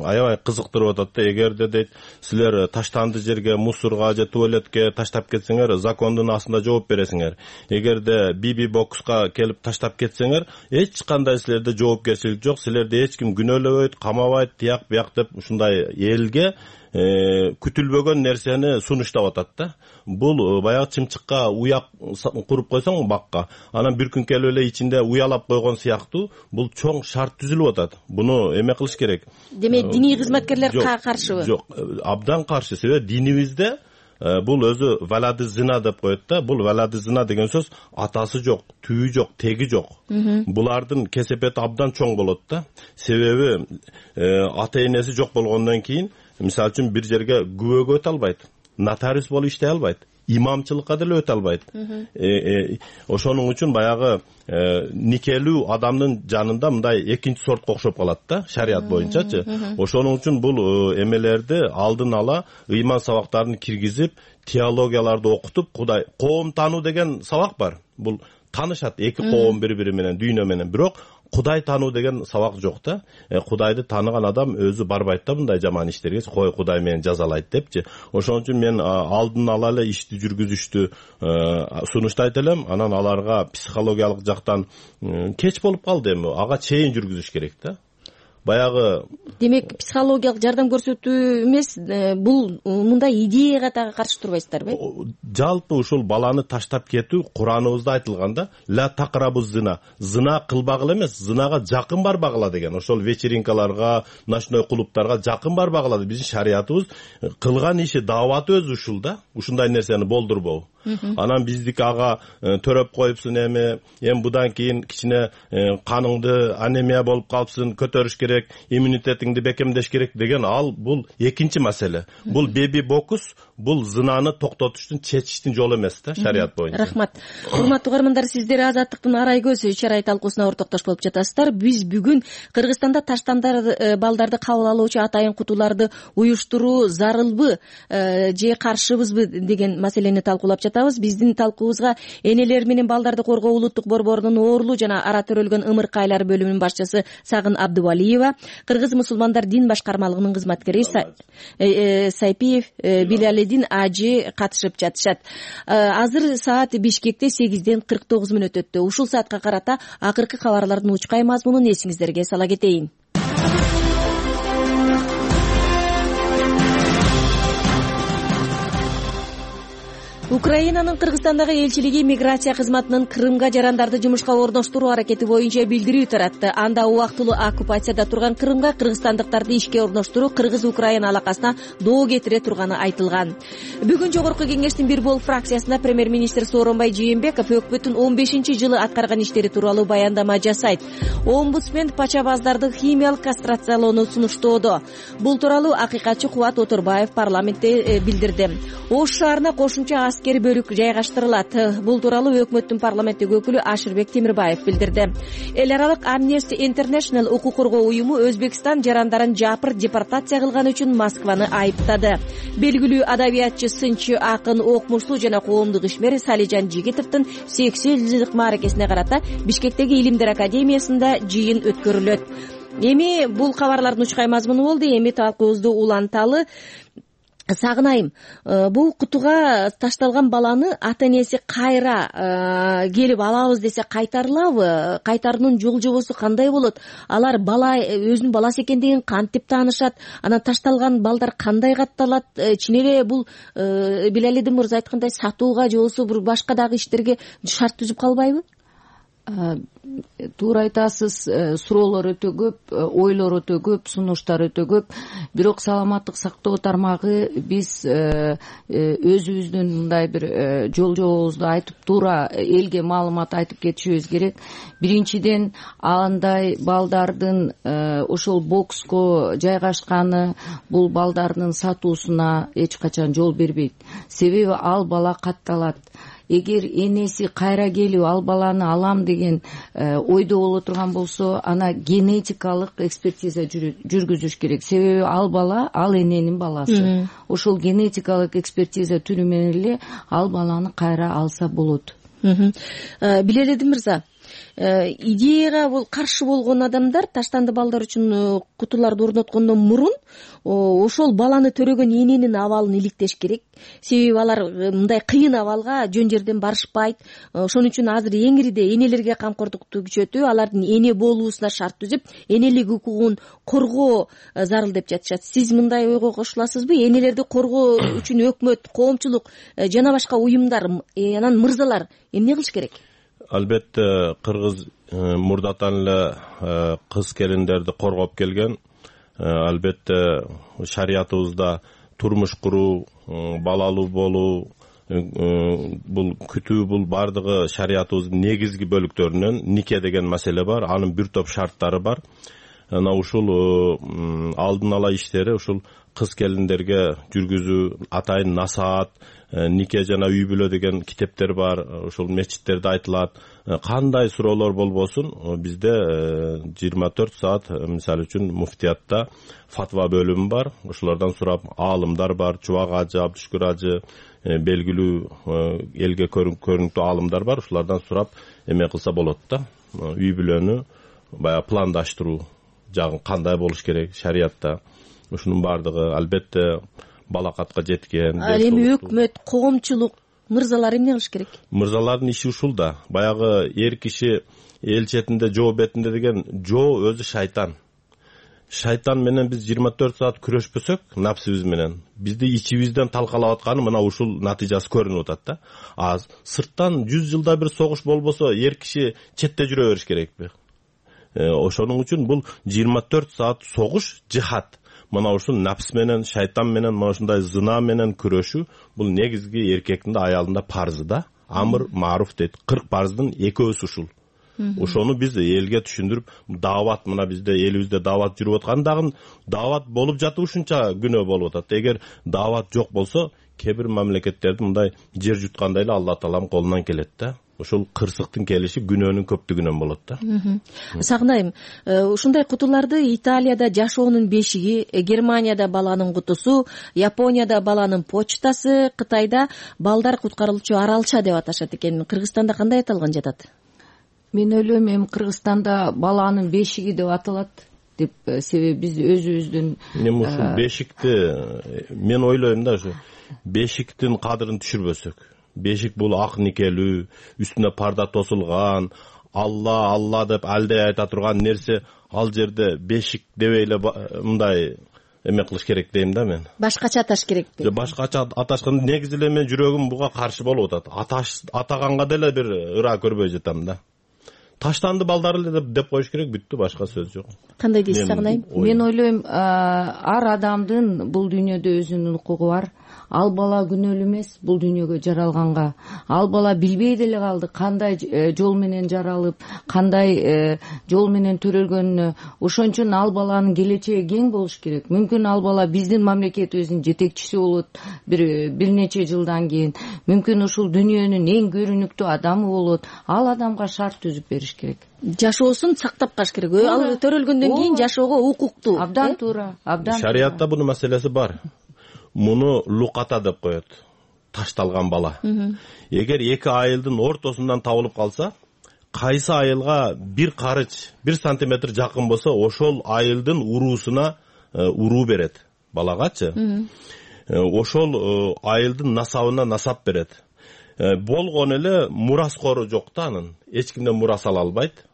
аябай кызыктырып атат да. Эгерде дейт, силер таштанды жерге, мусорго же туалетке таштап кетсеңер, закондун астында жооп бересиңер. Эгерде биби бокска келип таштап кетсеңер, эч кандай силерде жоопкерчилик жок, силерди эч ким күнөөлөбөйт, камабайт, тияк бияк деп ушундай элге күтүлбөгөн нерсени сунуштап атат да. Бул баягы чымчыкка уяк куруп койсоң бакка, анан бир күн келип эле ичинде уялап койгон сыяктуу, бул чоң шарт түзүлүп атат. Буну эме кылыш керек. Демек, диний кызматкерлер каршыбы? Жок, абдан каршы. Себеби динибизде бул өзү валады зина деп коет да. Бул валады зина деген сөз атасы жок, түйү жок, теги жок. Булардын кесепети абдан чоң болот да. Себеби ата энеси жок болгондон кийин, мисалы үчүн бир жерге күбөгө өтө албайт, нотариус болуп иштей албайт, имамчылыкка деле өтө албайт. Ошонун үчүн баягы никелүү адамдын жанында мындай экинчи сортко окшоп калат да, шарият боюнчачы. Ошонун үчүн бул эмелерди алдын ала ыйман сабактарын киргизип, теологияларды окутуп, Кудай коом таануу деген сабак бар. Бул таанышат эки коом бири-бири менен, дүйнө менен, бирок Кудай таануу деген сабак жок да. Кудайды тааныган адам өзү барбайт да мындай жаман иштерге, кой Кудай мени жазалайт депчи. Ошон үчүн мен алдын ала эле ишти жүргүзүштү сунуштайт элем. Анан аларга психологиялык жактан кеч болуп калды эми, ага чейин жүргүзүш керек да. Баягы демек психологиялык жардам көрсөтүү эмес, бул мындай идеяга дагы каршы турбайсыздарбы? Жалпы ушул баланы таштап кетүү Кураныбызда айтылган да, ла тaqrabuz зина, зина кылбагыла эмес, зинага жакын барбагыла деген. Ошол вечеринкаларга, ночной клубтарга жакын барбагыла. Биздин шариятыбыз кылган иши, дааваты өзү ушул да, ушундай нерсени болдурбоо. анан биздики ага төрөп коюпсуң, эми эми будан кийин кичине каныңды анемия болуп калыпсың, көтөрүш керек, иммунитетиңди бекемдеш керек деген, ал бул экинчи маселе. Бул беби бокс, бул зынаны токтотуштун, чечиштин жолу эмес да, шарият боюнча. Рахмат. Урматтуу угармандар, сиздер Азаттыктын Арай көз чарай талкуусуна ортоктош болуп жатасыздар. Биз бүгүн Кыргызстанда таштандар балдарды кабыл алуучу атайын кутуларды уюштуруу зарылбы же каршыбызбы деген маселени талкуулап жатабыз. Биздин талкуубузга энелер менен балдарды коргоо улуттук борборунун оорулуу жана ара төрөлгөн ымыркайлар бөлүмүнүн башчысы Сагын Абдывалиева, Кыргыз мусулмандар дин башкармалыгынын кызматкери Сайпиев Билалидин ажы катышып жатышат. Азыр саат Бишкекте сегизден кырк тогуз мүнөт өттү. Ушул саатка карата акыркы кабарлардын учкай мазмунун эсиңиздерге сала кетейин. Украинанын Кыргызстандагы элчилиги миграция кызматынын Крымга жарандарды жумушка орноштуруу аракети боюнча билдирүү таратты. Анда убактылуу оккупацияда турган Крымга кыргызстандыктарды ишке орноштуруу Кыргыз-Украина алакасына доо кетире турганы айтылган. Бүгүн жогорку кеңештин бир бол фракциясында премьер-министр Сооронбай Жээнбеков өкмөттүн он бешинчи жылы аткарган иштери тууралуу баяндама жасайт. Омбудсмен пачабаздарды химиялык кастрациялоону сунуштоодо. Бул тууралуу акыйкатчы Кубат Оторбаев парламентте билдирди. Ош шаарына кошумча аскери бөлүк жайгаштырылат. Бул тууралуу өкмөттүн парламенттик өкүлү Ашырбек Темирбаев билдирди. Эл аралык Amnesty International укук коргоо уюму Өзбекстан жарандарын жапыр депортация кылган үчүн Москваны айыптады. Белгилүү адабиятчы, сынчы, акын, окумуштуу жана коомдук ишмер Салижан Жигитовдун сексен жылдык мааракесине карата Бишкектеги Илимдер академиясында жыйын өткөрүлөт. Эми бул кабарлардын учкай мазмуну болду. Эми талкуубузду уланталы. Сагынайым, бул кутуга ташталган баланы ата-энеси кайра келип алабыз десе кайтарылабы? Кайтаруунун жол жобосу кандай болот? Алар бала өзүнүн баласы экендигин кантип таанышат? Анан ташталган балдар кандай катталат? Чын эле бул Билалидин мырза айткандай сатууга же болбосо бир башка дагы иштерге шарт түзүп калбайбы? Туура айтасыз, суроолор өтө көп, ойлор өтө көп, сунуштар өтө көп. Бирок саламаттык сактоо тармагы биз өзүбүздүн мындай бир жол жобобузду айтып, туура элге маалымат айтып кетишибиз керек. Биринчиден, андай балдардын ошол бокско жайгашканы бул балдардын сатуусуна эч качан жол бербейт. Себеби ал бала катталат. Эгер энеси кайра келип ал баланы алам деген ойдо боло турган болсо, ана генетикалык экспертиза жүргүзүш керек. Себеби ал бала ал эненин баласы. Ошол генетикалык экспертиза түрү менен эле ал баланы кайра алса болот. Билалидин мырза, идеяга бул каршы болгон адамдар таштанды балдар үчүн кутуларды орноткондон мурун ошол баланы төрөгөн эненин абалын иликтеш керек. Себеби алар мындай кыйын абалга жөн жерден барышпайт. Ошон үчүн азыр эңириде энелерге камкордукту күчөтүү, алардын эне болуусуна шарт түзүп, энелик укугун коргоо зарыл деп жатышат. Сиз мындай ойго кошуласызбы? Энелерди коргоо үчүн өкмөт, коомчулук жана башка уюмдар, анан мырзалар эмне кылыш керек? Албетте кыргыз мурдатан эле кыз келиндерди коргоп келген. Албетте шариятыбызда турмуш куруу, балалуу болуу, бул күтүү, бул бардыгы шариятыбыздын негизги бөлүктөрүнөн нике деген маселе бар. Анын бир топ шарттары бар. Ana ушул алдын ала иштери ушул кыз келиндерге жүргүзүү, атайын насаат, нике жана үй бүлө деген китептер бар. Ушул мечиттерде айтылат. Кандай суроолор болбосун, бизде жыйырма төрт саат мисалы үчүн муфтиятта фатва бөлүмү бар. Ушулардан сурап, аалымдар бар, Чубак ажы, Абдышкүр ажы, белгилүү элге көрүнүктүү аалымдар бар. Ушулардан сурап эме кылса болот да. Үй бүлөнү бая пландаштыруу жагын кандай болуш керек шариятта. Ушунун бардыгы албетте балакатка жеткен. Ал эми өкмөт, коомчулук, мырзалар эмне кылыш керек? Мырзалардын иши ушул да. Баягы эр киши эл четинде, жоо бетинде деген жоо өзү шайтан. Шайтан менен биз жыйырма төрт саат күрөшпөсөк, напсыбыз менен, бизди ичибизден талкалап атканы мына ушул натыйжасы көрүнүп атат да. А сырттан жүз жылда бир согуш болбосо, эр киши четте жүрө бериш керекпи? Ошонун үчүн бул жыйырма төрт саат согуш, жихад. мына ушул напс менен, шайтан менен, мына ушундай зына менен күрөшүү бул негизги эркектин да аялдын да парзы да. Амр маруф дейт. кырк парздын экөөсү ушул. Ошону биз элге түшүндүрүп, даават, мына бизде элибизде даават жүрүп аткан дагы даават болуп жатып ушунча күнөө болуп атат. Эгер даават жок болсо, кээ бир мамлекеттерде мындай жер жуткандай эле Алла Тааланын колунан келет да. Ошол кырсыктын келиши күнөөнүн көптүгүнөн болот да. Сагынайым, ушундай кутуларды Италияда жашоонун бешиги, Германияда баланын кутусу, Японияда баланын почтасы, Кытайда балдар куткарылчу аралча деп аташат экен. Кыргызстанда кандай аталган жатат? Мен ойлойм, эми Кыргызстанда баланын бешиги деп аталат деп, себеби биз өзүбүздүн эми ушул бешикти мен ойлойм да, ушу бешиктин кадырын түшүрбөсөк. Бешик бул ак никелүү, үстүнө парда тосулган, Алла, Алла деп алдай айта турган нерсе, ал жерде бешик дебей эле мындай эме кылыш керек дейм да мен. Башкача аташ керек дейм. Башкача аташкан негизи эле мен жүрөгүм буга каршы болуп атат. Аташ атаганга деле бир ыра көрбөй жатам да. Таштанды балдар эле деп коюш керек, бүттү, башка сөз жок. Кандай дейсиз Сагынайым? Мен ойлойм, ар адамдын бул дүйнөдө өзүнүн укугу бар. Ал бала күнөөлүү эмес бул дүйнөгө жаралганга. Ал бала билбей деле калды кандай жол менен жаралып, кандай жол менен төрөлгөнүнө. Ошон үчүн ал баланын келечеги кең болуш керек. Мүмкүн ал бала биздин мамлекетибиздин жетекчиси болот бир бир нече жылдан кийин. Мүмкүн ушул дүйнөнүн эң көрүнүктүү адамы болот. Ал адамга шарт түзүп бериш керек. Жашоосун сактап калыш керек. Ал төрөлгөндөн кийин жашоого укуктуу. Абдан туура, абдан. Шариятта бунун маселеси бар. Муну луката деп коет. Ташталган бала. Эгер эки айылдын ортосундан табылып калса, кайсы айылга бир карыч, бир сантиметр жакын болсо, ошол айылдын уруусуна уруу берет балагачы. Ошол айылдын насабына насап берет. Болгон эле мураскору жок да анын. Эч кимден мурас ала албайт.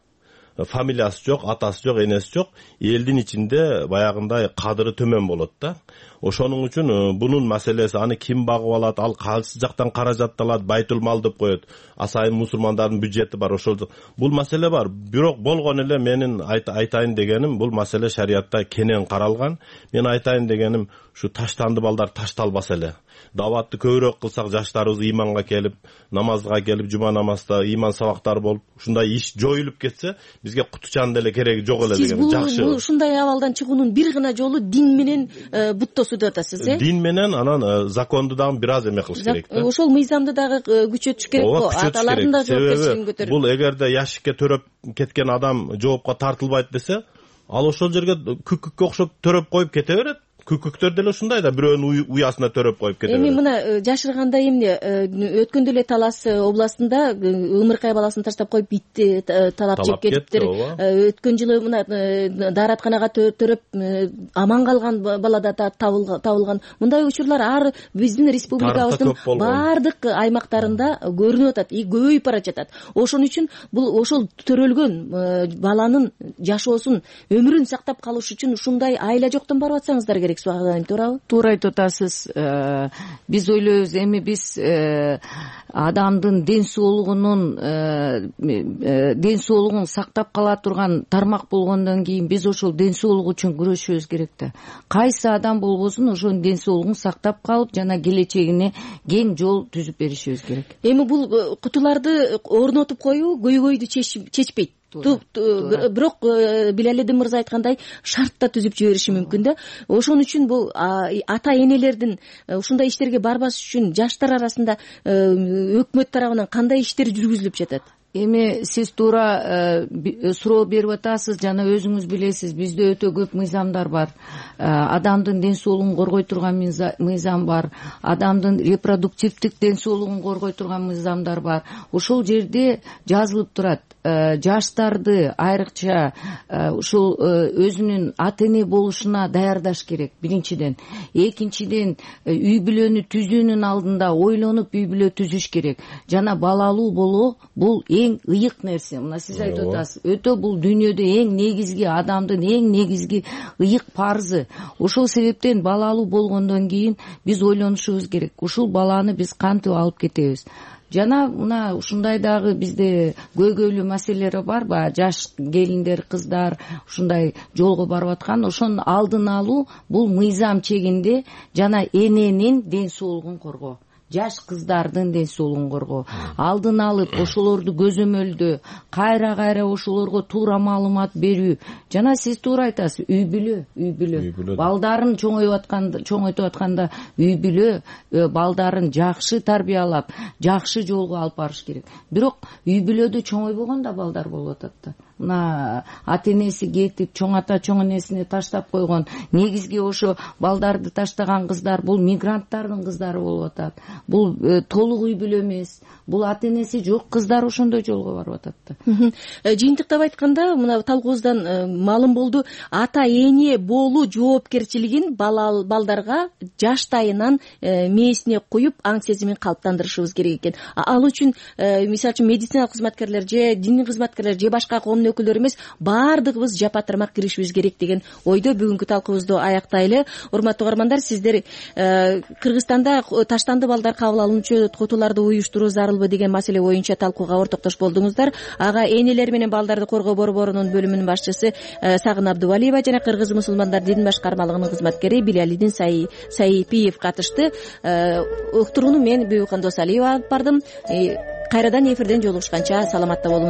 Фамилиясы жок, атасы жок, энеси жок. Элдин ичинде баягындай кадыры төмөн болот да. Ошонун үчүн бунун маселеси, аны ким багып алат, ал кайсы жактан каражат алат, байтул мал деп коет. Асайын мусулмандардын бюджети бар, ошол. Бул маселе бар. Бирок болгон эле менин айтайын дегеним, бул маселе шариятта кенен каралган. Мен айтайын дегеним, ушу таштанды балдар ташталбаса эле. Даватты көбүрөөк кылсак, жаштарыбыз иманга келип, намазга келип, жума намазда иман сабактары болуп, ушундай иш жоюлуп кетсе, бизге кутучан деле кереги жок эле деген. Жакшы. Сиз бул ушундай абалдан чыгуунун бир гана жолу дин менен буттосуу деп атасыз, э? Дин менен анан законду дагы бир аз эме кылыш керек да. Ошол мыйзамды дагы күчөтүш керек го. Аталардын да жоопкерчилигин көтөрүп. Бул эгерде яшикке төрөп кеткен адам жоопко тартылбайт десе, ал ошол жерге күкүккө окшоп төрөп коюп кете берет. Күкүктөр деле ушундай да, бирөөнүн уясына төрөп коюп кетет. Эми мына жашырганда эмне өткөндө эле Талас областында ымыркай баласын таштап коюп итти талап жеп кетиптир. Өткөн жылы мына дааратканага төрөп аман калган бала да табылган. Мындай учурлар ар биздин республикабыздын баардык аймактарында көрүнүп атат, и көбөйүп бара жатат. Ошон үчүн бул ошол төрөлгөн баланын жашоосун, өмүрүн сактап калыш үчүн ушундай айла жоктон барып атсаңыздар керек. Туурабы? Туура айтып атасыз. Биз ойлойбуз, эми биз адамдын ден соолугунун ден соолугун сактап кала турган тармак болгондон кийин биз ошол ден соолук үчүн күрөшүбүз керек да. Кайсы адам болбосун ошонун ден соолугун сактап калып, жана келечегине кең жол түзүп беришибиз керек. Эми бул кутуларды орнотуп коюу көйгөйдү чечпейт. Бирок Билалидин мырза айткандай шарт да түзүп жибериши мүмкүн да. Ошон үчүн бул ата энелердин ушундай иштерге барбаш үчүн жаштар арасында өкмөт тарабынан кандай иштер жүргүзүлүп жатат? Эми сиз туура суроо берип атасыз, жана өзүңүз билесиз, бизде өтө көп мыйзамдар бар. Адамдын ден соолугун коргой турган мыйзам бар, адамдын репродуктивдик ден соолугун коргой турган мыйзамдар бар. Ошол жерде жазылып турат. Жаштарды айрыкча ушул өзүнүн ата эне болушуна даярдаш керек, биринчиден. Экинчиден, үй бүлөнү түзүүнүн алдында ойлонуп үй бүлө түзүш керек. Жана балалуу болуу бул эң ыйык нерсе. Мына сиз айтып атасыз, өтө бул дүйнөдө эң негизги, адамдын эң негизги ыйык парзы. Ошол себептен балалуу болгондон кийин биз ойлонушубуз керек. Ушул баланы биз кантип алып кетебиз? жана мына ушундай дагы бизде көйгөйлүү маселелер барбы, жаш келиндер, кыздар ушундай жолго барып аткан, ошонун алдын алуу бул мыйзам чегинде жана эненин ден соолугун коргоо, жаш кыздардын ден соолугун коргоо, алдын алып ошолорду көзөмөлдөө, кайра кайра ошолорго туура маалымат берүү, жана сиз туура айтасыз, үй бүлө, үй бүлө балдарын чоңоюп атканда, чоңойтуп атканда үй бүлө балдарын жакшы тарбиялап, жакшы жолго алып барыш керек. Бирок үй бүлөдө чоңойбогон да балдар болуп атат да. Мына ата энеси кетип, чоң ата чоң энесине таштап койгон, негизги ошо балдарды таштаган кыздар бул мигранттардын кыздары болуп атат. Бул э, толук үй бүлө эмес, бул ата энеси жок кыздар ошондой жолго барып атат да. Жыйынтыктап айтканда, мына талкуубуздан маалым болду, ата эне болуу жоопкерчилигин балдарга жаштайынан мээсине куюп, аң сезимин калыптандырышыбыз керек экен. Ал үчүн мисалы үчүн медициналык кызматкерлер же диний кызматкерлер же башка коомдун өкүлдөрү эмес, баардыгыбыз жапа-тармак киришибиз керек деген ойдо бүгүнкү талкуубузду аяктайлы. Урматтуу угармандар, сиздер Кыргызстанда таштанды балдар кабыл алуучу котуларды уюштуруу зарылбы деген маселе боюнча талкууга ортоктош болдуңуздар. Ага энелер менен балдарды коргоо борборунун бөлүмүнүн башчысы Сагын Абдувалиева жана Кыргыз мусулмандар дин башкармалыгынын кызматкери Билалидин Сайипиев катышты. Уктурууну мен Бүйүкхан Досалиева алып бардым. Кайрадан эфирден жолугушканча саламатта болуңуз.